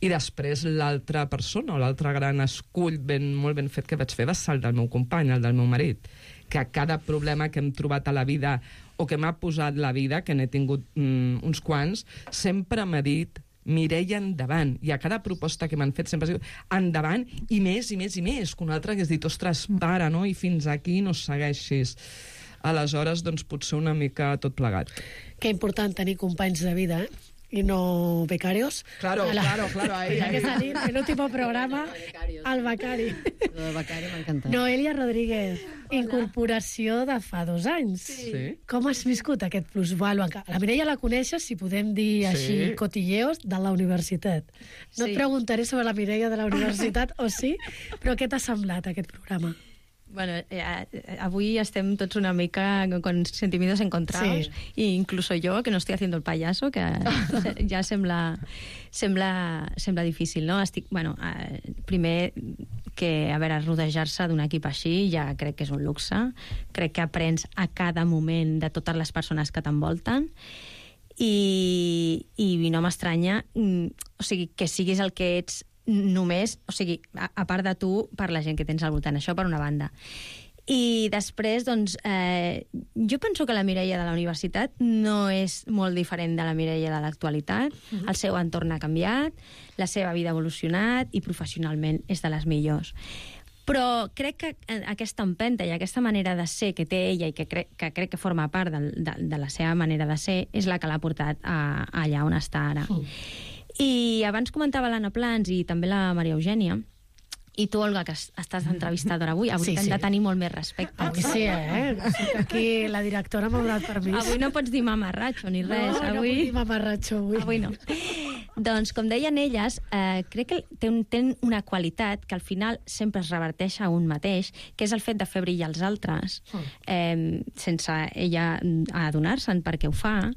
I després l'altra persona, o l'altre gran escull molt ben fet que vaig fer va ser el del meu company, el del meu marit, que a cada problema que hem trobat a la vida o que m'ha posat la vida, que n'he tingut uns quants, sempre m'ha dit: Mireia, endavant. I a cada proposta que m'han fet sempre ha dit endavant, i més, i més, i més. Que un altre hagués dit: ostres, para, no? I fins aquí no segueixis. Aleshores, doncs, potser una mica tot plegat. Que important tenir companys de vida, y no becarios. Claro, claro. Ahí. Que salir en un tipo de programa al becari. El becari m'ha encantat. Noelia Rodríguez, incorporació de fa 2 anys. Sí. Com has viscut aquest plusvàlua? La Mireia la coneixes, si podem dir així, cotilleos, de la universitat. No et preguntaré sobre la Mireia de la universitat, o sí, però què t'ha semblat aquest programa? Bueno, avui estem tots una mica con sentimientos encontrados, y incluso yo, que no estoy haciendo el payaso, que ja sembla difícil, no? Bueno, primer que, a veure, rodejar-se d'un equip així ja crec que és un luxe. Crec que aprens a cada moment de totes les persones que t'envolten, i no m'estranya, o sigui, que siguis el que ets només, o sigui, a part de tu, per la gent que tens al voltant. Això per una banda. I després, doncs, jo penso que la Mireia de la universitat no és molt diferent de la Mireia de l'actualitat. El seu entorn ha canviat, la seva vida ha evolucionat i professionalment és de les millors. Però crec que aquesta empenta i aquesta manera de ser que té ella, i que crec que forma part de la seva manera de ser, és la que l'ha portat allà on està ara. I abans comentava l'Anna Plans i també la Maria Eugènia, i tu, Olga, que estàs entrevistadora avui t'hem de tenir molt més respecte. Avui sí, aquí la directora m'ha donat permís. Avui no pots dir mamarratxo ni res. No puc dir mamarratxo avui. Avui no. Doncs, com deien elles, crec que tenen una qualitat que al final sempre es reverteix a un mateix, que és el fet de fer brillar els altres, sense ella adonar-se'n perquè ho fa,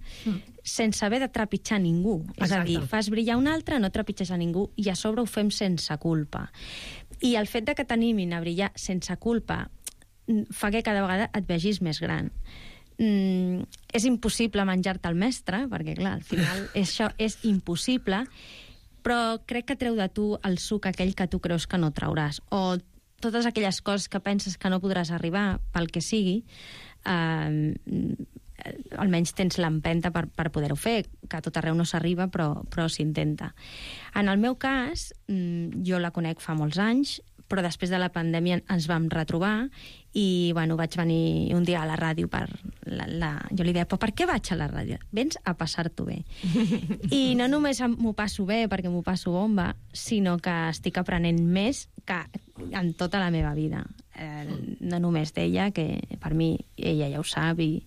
sense haver de trepitjar ningú. És a dir, fas brillar un altre, no trepitges a ningú, i a sobre ho fem sense culpa. I el fet de que t'animin a brillar sense culpa fa que cada vegada et vegis més gran. És impossible menjar-te el mestre, perquè, clar, al final això és impossible, però crec que treu de tu el suc aquell que tu creus que no trauràs, o totes aquelles coses que penses que no podràs arribar pel que sigui, almenys tens l'empenta per poder-ho fer, que a tot arreu no s'arriba, però s'intenta. En el meu cas, jo la conec fa molts anys, però després de la pandèmia ens vam retrobar i, bueno, vaig venir un dia a la ràdio jo li deia, però per què vaig a la ràdio? Vens a passar-t'ho bé. I no només m'ho passo bé perquè m'ho passo bomba, sinó que estic aprenent més que en tota la meva vida. No només d'ella, que per mi ella ja ho sap i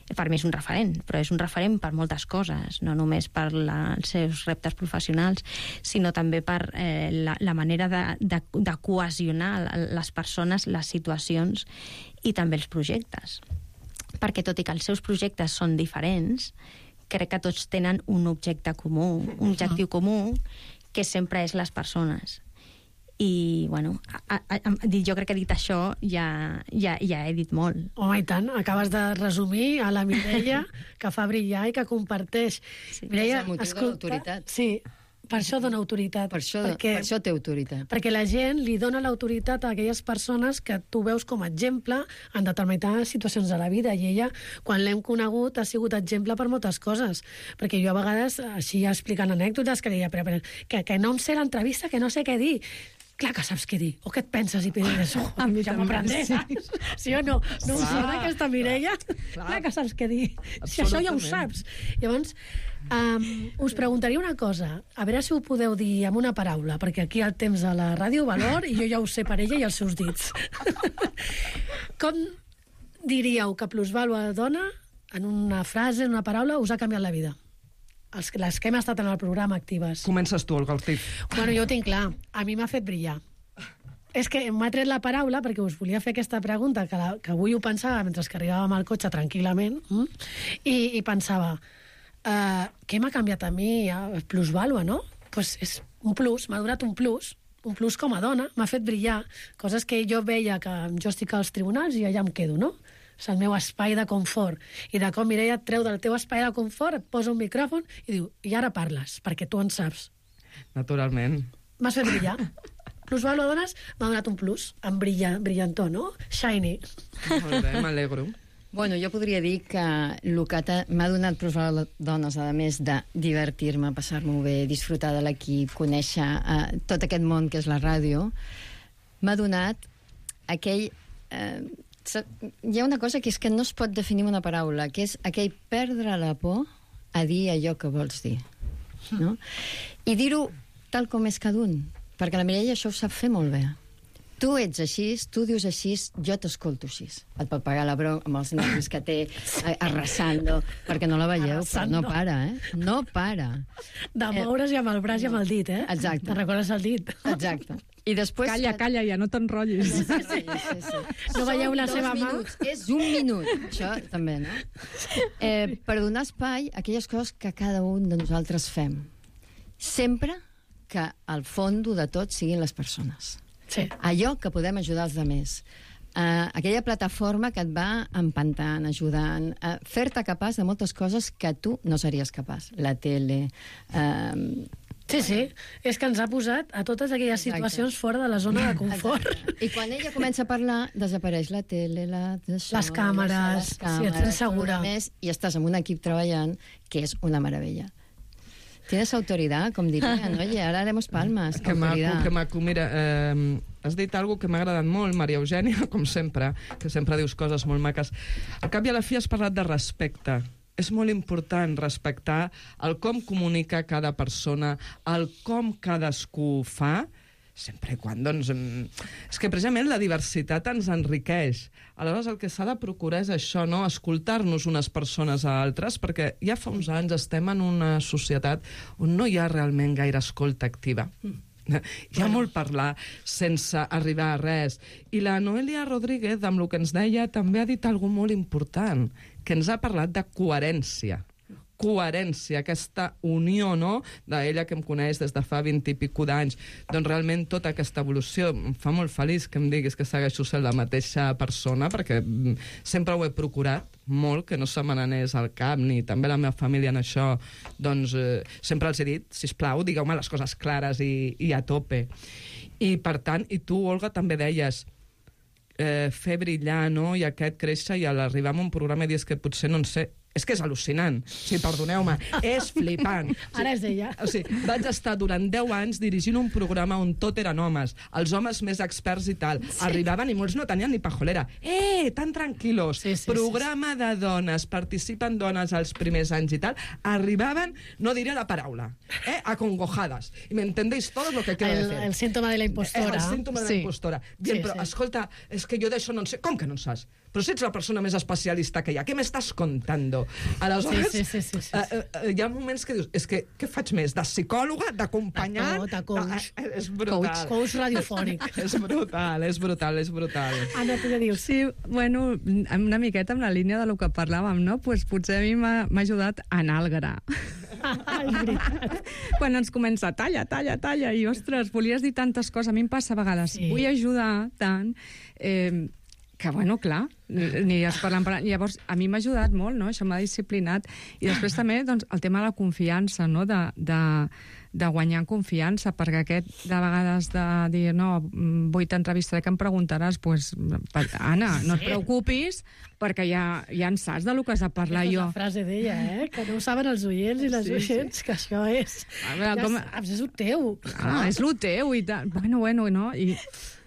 per mi és un referent, però és un referent per moltes coses, no només per els seus reptes professionals, sinó també per la manera de cohesionar les persones, les situacions i també els projectes. Perquè tot i que els seus projectes són diferents, crec que tots tenen un objectiu comú, que sempre és les persones. I, bueno, jo crec que dit això ja he dit molt. Home, i tant, acabes de resumir a la Mireia, que fa brillar i que comparteix. Mireia, és el motiu de l'autoritat. Sí, per això dona autoritat. Per això té autoritat. Perquè la gent li dona l'autoritat a aquelles persones que tu veus com a exemple en determinades situacions de la vida, i ella, quan l'hem conegut, ha sigut exemple per moltes coses. Perquè jo a vegades, així explicant anècdotes, que deia, però que no em sé l'entrevista, que no sé què dir. clar que saps què dir, o què et penses i penses, ja m'aprendré, saps? Sí o no? No us sona aquesta Mireia? Clar que saps què dir. Si això ja ho saps. Llavors, us preguntaria una cosa, a veure si ho podeu dir amb una paraula, perquè aquí el temps a la ràdio valor i jo ja ho sé per ella i els seus dits. Com diríeu que plusvàlua dona, en una frase, en una paraula, us ha canviat la vida? Les que hem estat en el programa actives. Comences tu, Olga Ortiz. Bueno, jo ho tinc clar. A mi m'ha fet brillar. És que m'ha tret la paraula perquè us volia fer aquesta pregunta, que avui ho pensava mentre que arribàvem al cotxe tranquil·lament, i pensava, què m'ha canviat a mi plusvàlua, no? Doncs és un plus, m'ha donat un plus com a dona, m'ha fet brillar, coses que jo veia que jo estic als tribunals i allà em quedo, no? És el meu espai de confort. I de com Mireia et treu del teu espai de confort, et posa un micròfon i diu, i ara parles, perquè tu en saps. Naturalment. M'has fet brillar. Plusvàlua dones m'ha donat un plus, amb brillantor, no? Shiny. Molt bé, m'alegro. Bueno, jo podria dir que el que m'ha donat plusvàlua dones, a més de divertir-me, passar-m'ho bé, disfrutar de l'equip, conèixer tot aquest món que és la ràdio, m'ha donat aquell... hi ha una cosa que és que no es pot definir amb una paraula, que és aquell perdre la por a dir allò que vols dir, no? I dir-ho tal com és cada un, perquè la Mireia això ho sap fer molt bé. Tu ets així, tu dius així, jo t'escolto així. Et pot pagar la broma amb els nervis que té arrasando, perquè no la veieu, però no para, No para. De moure's i amb el braç i amb el dit, Exacte. Te'n recordes el dit? Exacte. I després... Calla, ja no t'enrotllis. Sí. No veieu la seva mà? És un minut, això també, no? Per donar espai a aquelles coses que cada un de nosaltres fem. Sempre que al fons de tot siguin les persones. Sí. Allò que podem ajudar els altres. Aquella plataforma que et va empantant, ajudant, fer-te capaç de moltes coses que tu no series capaç. La tele... Sí, és que ens ha posat a totes aquelles situacions fora de la zona de confort. I quan ella comença a parlar, desapareix la tele, les càmeres, sí, et sents segura. I estàs amb un equip treballant, que és una meravella. Tienes autoridad, com diria, no? I ara haremos palmas. Que maco. Mira, has dit alguna que m'ha agradat molt, Maria Eugènia, com sempre, que sempre dius coses molt maques. Al cap i a la fi has parlat de respecte. És molt important respectar el com comunica cada persona, el com cadascú fa, sempre i quan, doncs... És que precisament la diversitat ens enriqueix. Aleshores, el que s'ha de procurar és això, no? Escoltar-nos unes persones a altres, perquè ja fa uns anys estem en una societat on no hi ha realment gaire escolta activa. Hi ha molt parlar sense arribar a res. I la Noelia Rodríguez, amb el que ens deia, també ha dit alguna molt important, que ens ha parlat de coherència. Coherència, aquesta unió, no?, d'ella que em coneix des de fa 20 i pico d'anys. Doncs realment tota aquesta evolució em fa molt feliç que em diguis que segueixo sent la mateixa persona, perquè sempre ho he procurat molt, que no se me n'anés al cap, ni també la meva família en això. Doncs sempre els he dit, sisplau, digueu-me les coses clares i a tope. I per tant, i tu, Olga, també deies fer brillar, no?, i aquest créixer, i a l'arribar a un programa i dius que potser no en sé. És que és al·lucinant. Sí, perdoneu-me, és flipant. Ara és ella. O sigui, vaig estar durant 10 anys dirigint un programa on tot eren homes, els homes més experts i tal. Sí. Arribaven i molts no tenien ni pajolera. Tan tranquilos. Sí, programa de dones, participen dones als primers anys i tal. Arribaven, no diré la paraula, acongojades. I m'entendéis todo lo que quiero decir. El símptoma de la impostora. El símptoma de la impostora. Bien, però, escolta, és que jo d'això no en sé. Com que no en saps? Però si ets la persona més especialista que hi ha, què m'estàs contando? Aleshores, sí. Hi ha moments que dius, és que què faig més? De psicòloga? D'acompanyant? De coach. És brutal. Coach radiofònic. És brutal. Anna, tu què dius? Sí, bueno, una miqueta amb la línia de lo que parlàvem, no? Pues potser a mi m'ha ajudat a anar al gra. Quan ens comença talla, i ostres, volies dir tantes coses, a mi em passa a vegades, vull ajudar tant, Que, bueno, clar, aniràs parlant. Llavors, a mi m'ha ajudat molt, no? Això m'ha disciplinat. I després també, doncs, el tema de la confiança, no? De guanyar confiança, perquè aquest, de vegades, de dir, no, vull t'entrevistaré, que em preguntaràs, doncs, Anna, no et preocupis, perquè ja en saps del que has de parlar jo. Aquesta és la frase d'ella, que no ho saben els oients i les oients, que això és... És el teu. És el teu, i tal. Bueno, no? I...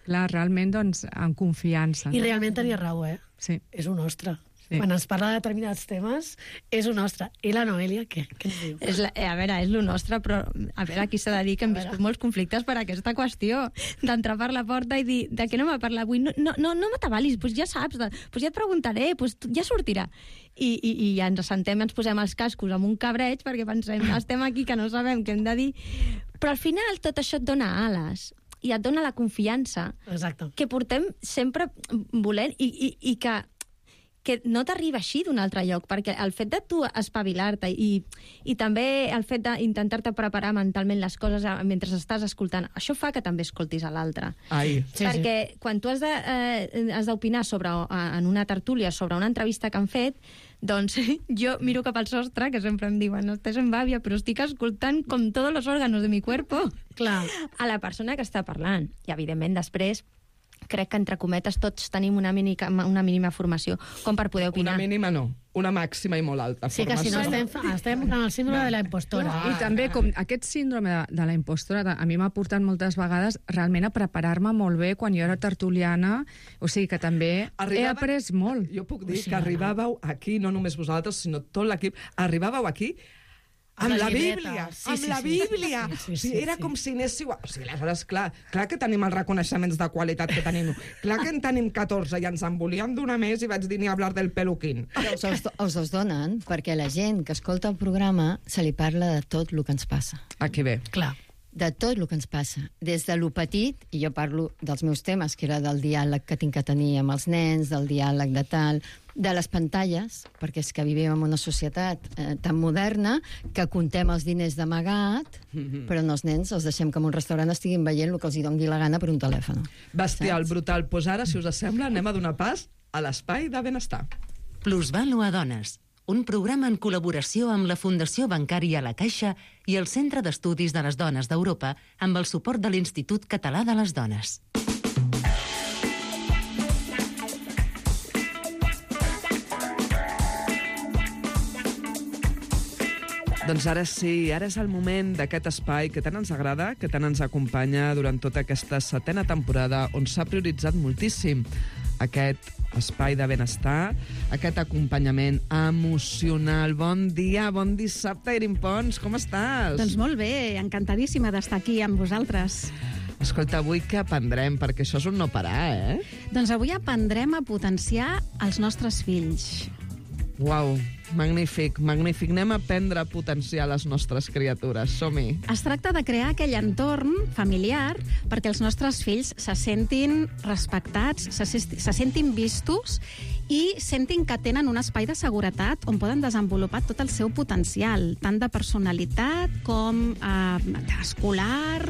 Clar, realment, doncs, amb confiança. I realment tenia raó, Sí. És un nostre. Sí. Quan ens parla de determinats temes, és un nostre. I la Noelia, què ens diu? A veure, és lo nostre, però a veure, aquí s'ha de dir que hem viscut molts conflictes per aquesta qüestió, d'entrar per la porta i dir, de què no m'ha parlat avui? No m'atabalis, doncs ja saps, doncs ja et preguntaré, doncs ja sortirà. I ja ens assentem, ens posem els cascos amb un cabreig, perquè pensem, estem aquí que no sabem què hem de dir. Però al final tot això et dona ales. I et dona la confiança que portem sempre volent i que no t'arriba així d'un altre lloc, perquè el fet de tu espavilar-te i també el fet d'intentar-te preparar mentalment les coses mentre estàs escoltant, això fa que també escoltis a l'altre. Perquè quan tu has d'opinar en una tertúlia sobre una entrevista que han fet, doncs jo miro cap al sostre, que sempre em diuen, no estàs en bàvia, però estic escoltant com tots els òrganos de mi cuerpo a la persona que està parlant. I, evidentment, després crec que, entre cometes, tots tenim una mínima formació com per poder opinar. Una mínima no, una màxima i molt alta formació. Sí, que si no estem en el síndrome de la impostora. I també, com aquest síndrome de la impostora, a mi m'ha portat moltes vegades realment a preparar-me molt bé quan jo era tertuliana, o sigui que també he après molt. Jo puc dir que arribàveu aquí, no només vosaltres, sinó tot l'equip, arribàveu aquí amb la Bíblia, amb la Bíblia. Era com si anéssiu... O sigui, aleshores, clar que tenim els reconeixements de qualitat que tenim. Clar que en tenim 14 i ens en volien donar més i vaig dir ni hablar del peluquín. Us donen perquè la gent que escolta el programa se li parla de tot el que ens passa. Aquí ve. Clar. De tot el que ens passa. Des de lo petit, i jo parlo dels meus temes, que era del diàleg que tinc que tenir amb els nens, del diàleg de tal, de les pantalles, perquè és que vivim en una societat tan moderna que contem els diners d'amagat, però no els nens els deixem que en un restaurant estiguin veient el que els hi doni la gana per un telèfon. Bestial, brutal. Doncs ara, si us sembla, anem a donar pas a l'espai de benestar. Plusvalua Dones, un programa en col·laboració amb la Fundació Bancària La Caixa i el Centre d'Estudis de les Dones d'Europa amb el suport de l'Institut Català de les Dones. Doncs ara sí, ara és el moment d'aquest espai que tant ens agrada, que tant ens acompanya durant tota aquesta 7a temporada, on s'ha prioritzat moltíssim aquest espai de benestar, aquest acompanyament emocional. Bon dia, bon dissabte, Irin Pons, com estàs? Doncs molt bé, encantadíssima d'estar aquí amb vosaltres. Escolta, avui què aprendrem? Perquè això és un no parar, Doncs avui aprendrem a potenciar els nostres fills. Uau, magnífic, magnífic. Anem a aprendre a potenciar les nostres criatures. Som-hi. Es tracta de crear aquell entorn familiar perquè els nostres fills se sentin respectats, se sentin vistos i sentin que tenen un espai de seguretat on poden desenvolupar tot el seu potencial, tant de personalitat com escolar,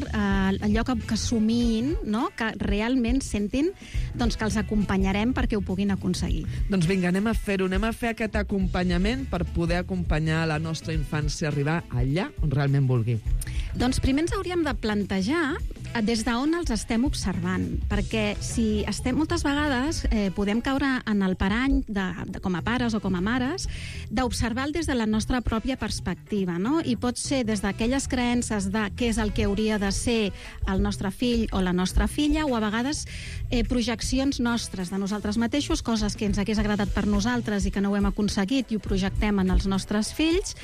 allò que somiïn, no? Que realment sentin que els acompanyarem perquè ho puguin aconseguir. Doncs vinga, anem a fer-ho, anem a fer aquest acompanyament per poder acompanyar la nostra infància a arribar allà on realment vulgui. Doncs primer ens hauríem de plantejar des d'on els estem observant, perquè si estem moltes vegades podem caure en el parany com a pares o com a mares d'observar-lo des de la nostra pròpia perspectiva, no? I pot ser des d'aquelles creences de què és el que hauria de ser el nostre fill o la nostra filla, o a vegades projeccions nostres de nosaltres mateixos, coses que ens hagués agradat per nosaltres i que no ho hem aconseguit i ho projectem en els nostres fills.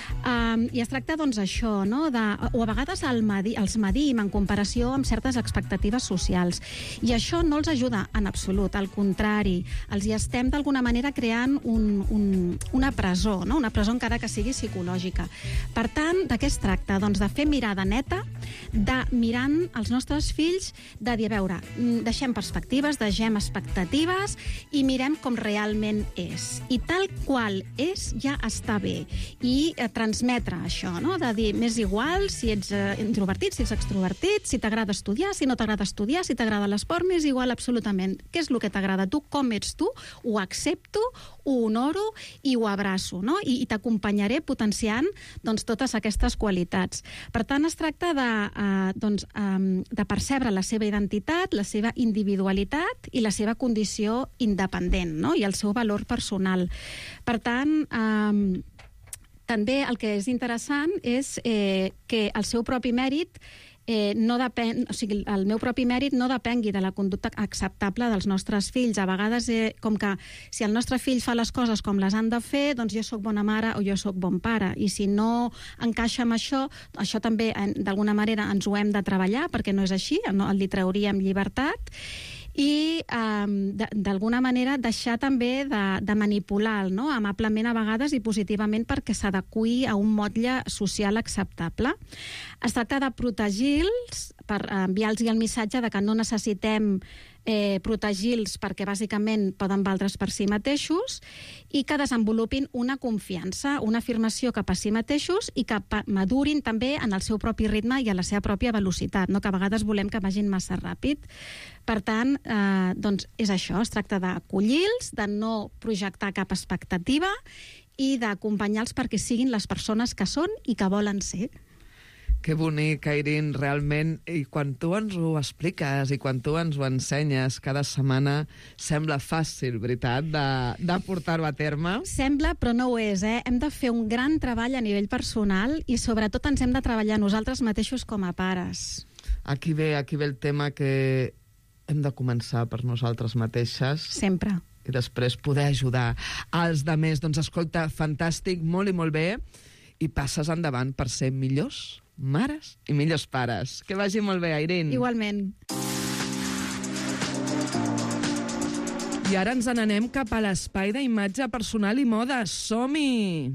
I es tracta, doncs, això, no? O a vegades els medim en comparació amb certes expectatives socials. I això no els ajuda en absolut, al contrari. Els hi estem, d'alguna manera, creant una presó, no? Una presó encara que sigui psicològica. Per tant, de què es tracta? Doncs de fer mirada neta, de mirant els nostres fills, de dir, a veure, deixem perspectives, deixem expectatives i mirem com realment és. I tal qual és ja està bé. I transmetre això, no? De dir, m'és igual si ets introvertit, si ets extrovertit, si t'agrada estudiar, si no t'agrada estudiar, si t'agrada l'esport, m'és igual absolutament. Què és el que t'agrada a tu, com ets tu, ho accepto, ho honoro i ho abraço, no? I t'acompanyaré potenciant doncs, totes aquestes qualitats. Per tant, es tracta de percebre la seva identitat, la seva individualitat i la seva condició independent, no? I el seu valor personal. Per tant, també el que és interessant és que el seu propi mèrit no depèn, o sigui, el meu propi mèrit no depengui de la conducta acceptable dels nostres fills. A vegades, com que si el nostre fill fa les coses com les han de fer, doncs jo sóc bona mare o jo sóc bon pare. I si no encaixa amb això també, d'alguna manera, ens ho hem de treballar, perquè no és així, li trauríem llibertat. I, d'alguna manera, deixar també de manipular, no? Amablement a vegades i positivament perquè s'adeqüi a un motlle social acceptable. Es tracta de protegir-los, per enviar-los el missatge de que no necessitem protegir-los perquè bàsicament poden valdre's per si mateixos i que desenvolupin una confiança, una afirmació cap a si mateixos i que madurin també en el seu propi ritme i a la seva pròpia velocitat, no? Que a vegades volem que vagin massa ràpid. Per tant, doncs és això, es tracta d'acollir-los, de no projectar cap expectativa i d'acompanyar-los perquè siguin les persones que són i que volen ser. Que bonic, Airin, realment. I quan tu ens ho expliques i quan tu ens ho ensenyes cada setmana, sembla fàcil, veritat, de portar-ho a terme? Sembla, però no ho és, Hem de fer un gran treball a nivell personal i sobretot ens hem de treballar nosaltres mateixos com a pares. Aquí ve el tema que hem de començar per nosaltres mateixes. Sempre. I després poder ajudar als demés. Doncs escolta, fantàstic, molt i molt bé. I passes endavant per ser millors mares i millors pares. Que vagi molt bé, Airin. Igualment. I ara ens n'anem cap a l'espai d'imatge personal i moda. Som-hi!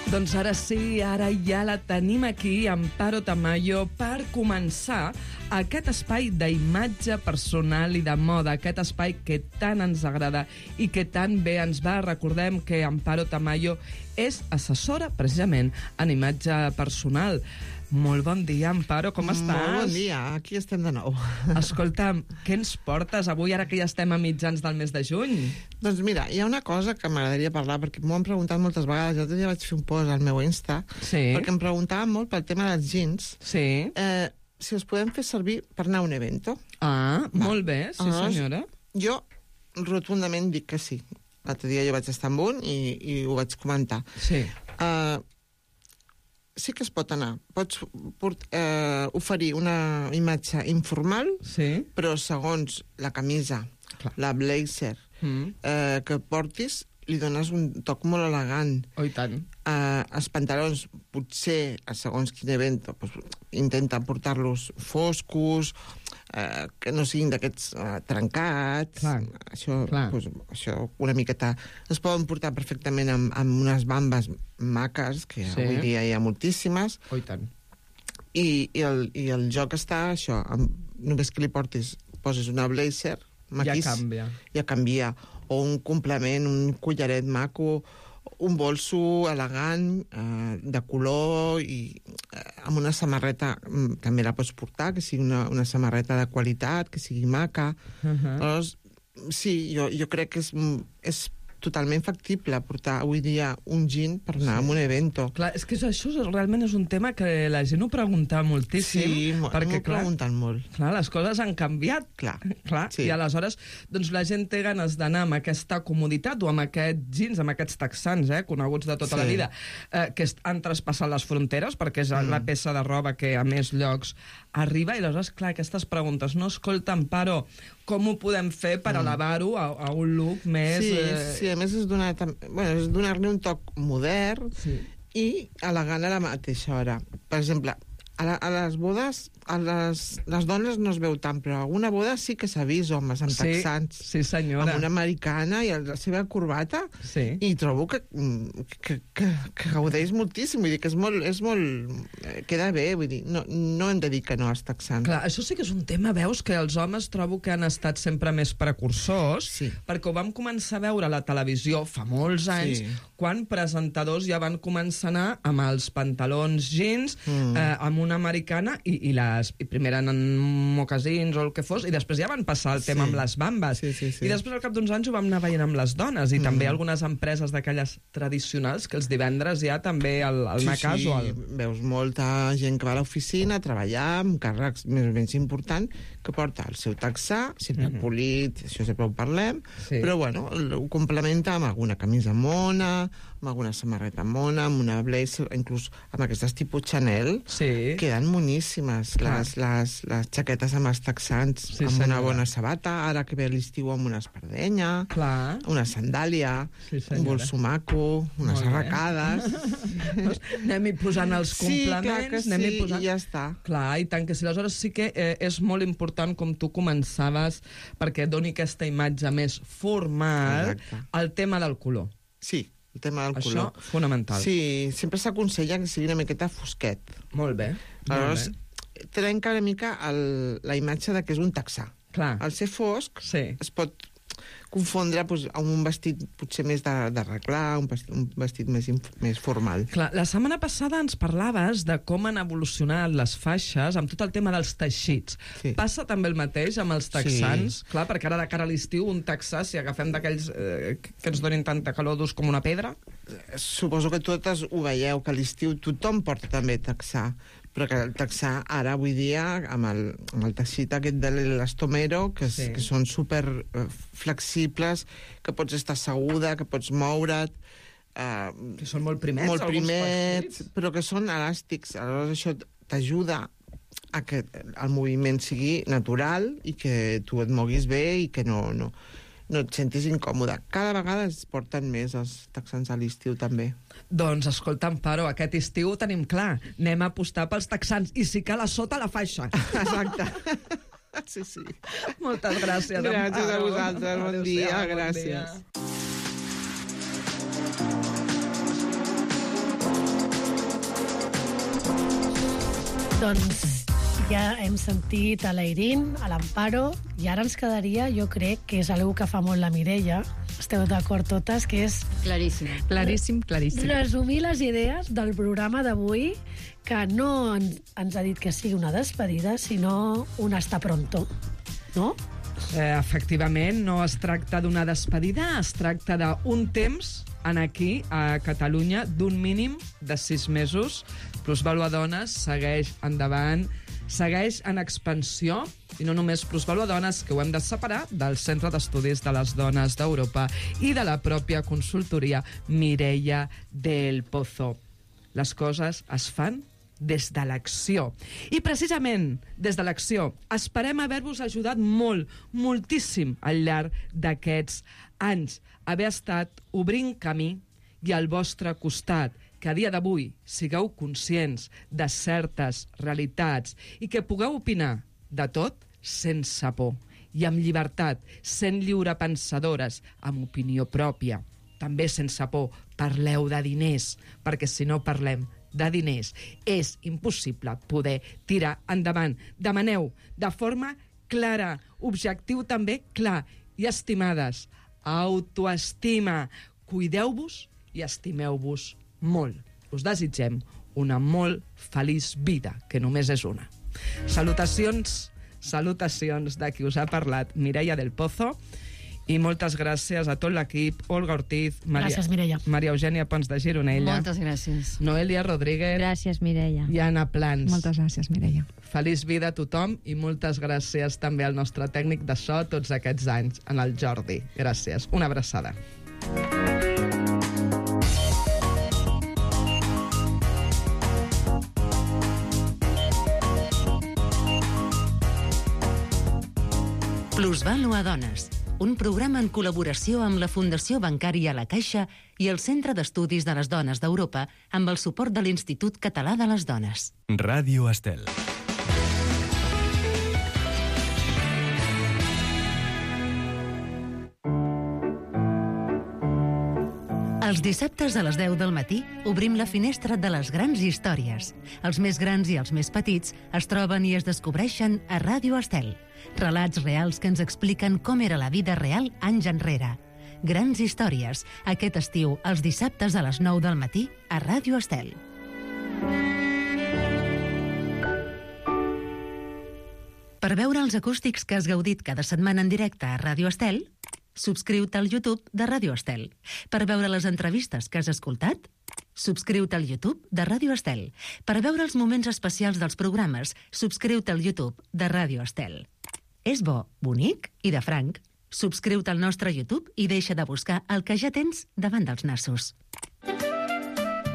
Doncs ara sí, ara ja la tenim aquí, Amparo Tamayo, per començar aquest espai d'imatge personal i de moda, aquest espai que tant ens agrada i que tan bé ens va. Recordem que Amparo Tamayo és assessora, precisament, en imatge personal. Molt bon dia, Amparo, com estàs? Molt bon dia, aquí estem de nou. Escolta'm, què ens portes avui, ara que ja estem a mitjans del mes de juny? Doncs mira, hi ha una cosa que m'agradaria parlar, perquè m'ho han preguntat moltes vegades. Jo ja vaig fer un post al meu Insta, perquè em preguntaven molt pel tema dels jeans. Sí. Si els podem fer servir per anar a un evento. Molt bé, sí senyora. Jo rotundament dic que sí. L'altre dia jo vaig estar amb un i ho vaig comentar. Sí. Sí que es pot anar. Pots oferir una imatge informal, però segons la camisa, la blazer que portis, li dones un toc molt elegant. Oh, i tant. Els pantalons, potser, segons quin event, intenta portar-los foscos, que no siguin d'aquests trencats. Això una miqueta... Es poden portar perfectament amb unes bambes maques, que avui dia hi ha moltíssimes. Oh, i tant. I el joc està això, només que li posis una blazer, maquís, ja canvia. O un complement, un collaret maco, un bolso elegant, de color, i amb una samarreta, també la pots portar, que sigui una samarreta de qualitat, que sigui maca. Llavors, sí, jo crec que és totalment factible portar avui dia un jean per anar a un evento. Clar, és que això realment és un tema que la gent ho pregunta moltíssim. Sí, perquè, m'ho pregunten molt. Clar, les coses han canviat. Clar. I aleshores doncs, la gent té ganes d'anar amb aquesta comoditat o amb aquests jeans, amb aquests texans, coneguts de tota la vida, que han traspassat les fronteres, perquè és la peça de roba que a més llocs arriba, i aleshores, clar, aquestes preguntes, no, escolta, Amparo, com ho podem fer per elevar-ho a un look més... Sí, a més és donar-li un toc modern i elegant a la mateixa hora. Per exemple, A les bodes, les dones no es veu tant, però a alguna boda sí que s'ha vist homes amb texans. Sí, senyora. Amb una americana i la seva corbata. Sí. I trobo que gaudeix moltíssim. Vull dir que és molt... Queda bé, vull dir, no hem de dir que no als texans. Clar, això sí que és un tema, veus, que els homes trobo que han estat sempre més precursors, perquè ho vam començar a veure a la televisió fa molts anys, quan presentadors ja van començar a anar amb els pantalons jeans, amb una americana, i primer eren en mocasins o el que fos, i després ja van passar el tema amb les bambes. I després, al cap d'uns anys, ho vam anar veient amb les dones, i també algunes empreses d'aquelles tradicionals, que els divendres ja també el anar casual. Veus molta gent que va a l'oficina a treballar amb càrrecs més o menys importants, que porta el seu texà, sempre polit, això sempre ho parlem, però bueno, ho complementa amb alguna camisa mona, amb alguna samarreta mona, amb una blazer, inclús amb aquestes tipus Chanel, queden moníssimes les jaquetes amb els texans, amb una bona sabata, ara que ve l'estiu amb una espardenya, una sandàlia, un bolso maco, unes arracades. Anem-hi posant els complements, i ja està. Clar, i tant que sí. Aleshores sí que és molt important, com tu començaves, perquè doni aquesta imatge més formal, el tema del color. Sí, el tema del color. Això, fonamental. Sí, sempre s'aconsella que sigui una miqueta fosquet. Molt bé. Aleshores, trenca una mica la imatge de que és un texà. Clar. Al ser fosc, es pot confondre amb un vestit potser més d'arreglar, un vestit més formal. Clar, la setmana passada ens parlaves de com han evolucionat les faixes amb tot el tema dels teixits. Passa també el mateix amb els texans? Clar, perquè ara de cara a l'estiu un texà, si agafem d'aquells que ens donin tanta calor durs com una pedra? Suposo que totes ho veieu, que a l'estiu tothom porta també texà, però que el texà ara, avui dia, amb el teixit aquest de l'elastomero, que són super flexibles, que pots estar asseguda, que pots moure't... Que són molt primets, molt primets, però que són elàstics. Aleshores això t'ajuda a que el moviment sigui natural i que tu et moguis bé i que no et sentis incòmode. Cada vegada es porten més els texans a l'estiu, també. Doncs, escolta, Amparo, aquest estiu ho tenim clar. Anem a apostar pels texans, i si cal a sota la faixa. Exacte. Sí. Moltes gràcies, Amparo. Gràcies a vosaltres, bon dia, gràcies. Doncs ja hem sentit a l'Eirín, a l'Amparo, i ara ens quedaria, jo crec, que és algo que fa molt la Mireia, esteu d'acord totes, que és... Claríssim. Claríssim. Resumir les idees del programa d'avui, que no ens ha dit que sigui una despedida, sinó un hasta pronto, no? Efectivament, no es tracta d'una despedida, es tracta d'un temps aquí, a Catalunya, d'un mínim de 6 mesos. Plusvàlua Dones segueix endavant, segueix en expansió, i no només Plusvàlua Dones, que ho hem de separar del Centre d'Estudis de les Dones d'Europa i de la pròpia consultoria Mireia del Pozo. Les coses es fan des de l'acció. I precisament des de l'acció esperem haver-vos ajudat moltíssim al llarg d'aquests anys, haver estat obrint camí i al vostre costat, que a dia d'avui sigueu conscients de certes realitats i que pugueu opinar de tot sense por i amb llibertat, sent lliurepensadores, amb opinió pròpia. També sense por, parleu de diners, perquè si no parlem de diners és impossible poder tirar endavant. Demaneu de forma clara, objectiu també clar, i estimades, autoestima. Cuideu-vos i estimeu-vos molt. Us desitgem una molt feliç vida, que només és una. Salutacions de qui us ha parlat, Mireia del Pozo, i moltes gràcies a tot l'equip, Olga Ortiz, gràcies, Mireia. Maria Eugènia Pons de Gironella, moltes gràcies, Noelia Rodríguez, gràcies, Mireia, i Anna Plans. Moltes gràcies, Mireia. Feliç vida a tothom i moltes gràcies també al nostre tècnic de so tots aquests anys, en el Jordi. Gràcies. Una abraçada. Plusvàlua Dones, un programa en col·laboració amb la Fundació Bancària La Caixa i el Centre d'Estudis de les Dones d'Europa amb el suport de l'Institut Català de les Dones. Ràdio Estel. Els dissabtes a les 10 del matí obrim la finestra de les grans històries. Els més grans i els més petits es troben i es descobreixen a Ràdio Estel. Relats reals que ens expliquen com era la vida real anys enrere. Grans històries, aquest estiu, els dissabtes a les 9 del matí a Ràdio Estel. Per veure els acústics que has gaudit cada setmana en directe a Ràdio Estel, subscriu-te al YouTube de Ràdio Estel. Per veure les entrevistes que has escoltat, subscriu-te al YouTube de Ràdio Estel. Per veure els moments especials dels programes, subscriu-te al YouTube de Ràdio Estel. És bo, bonic i de franc. Subscriu-te al nostre YouTube i deixa de buscar el que ja tens davant dels nassos.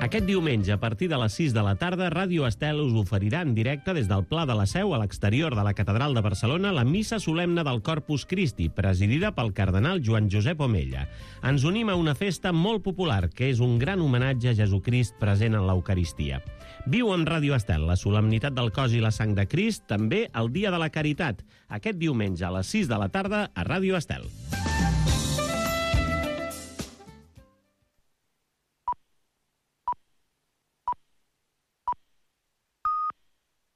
Aquest diumenge, a partir de les 6 de la tarda, Ràdio Estel us oferirà en directe des del Pla de la Seu, a l'exterior de la Catedral de Barcelona, la missa solemne del Corpus Christi, presidida pel cardenal Joan Josep Omella. Ens unim a una festa molt popular, que és un gran homenatge a Jesucrist present en l'Eucaristia. Viu en Ràdio Estel la solemnitat del cos i la sang de Crist, també el Dia de la Caritat, aquest diumenge a les 6 de la tarda a Ràdio Estel.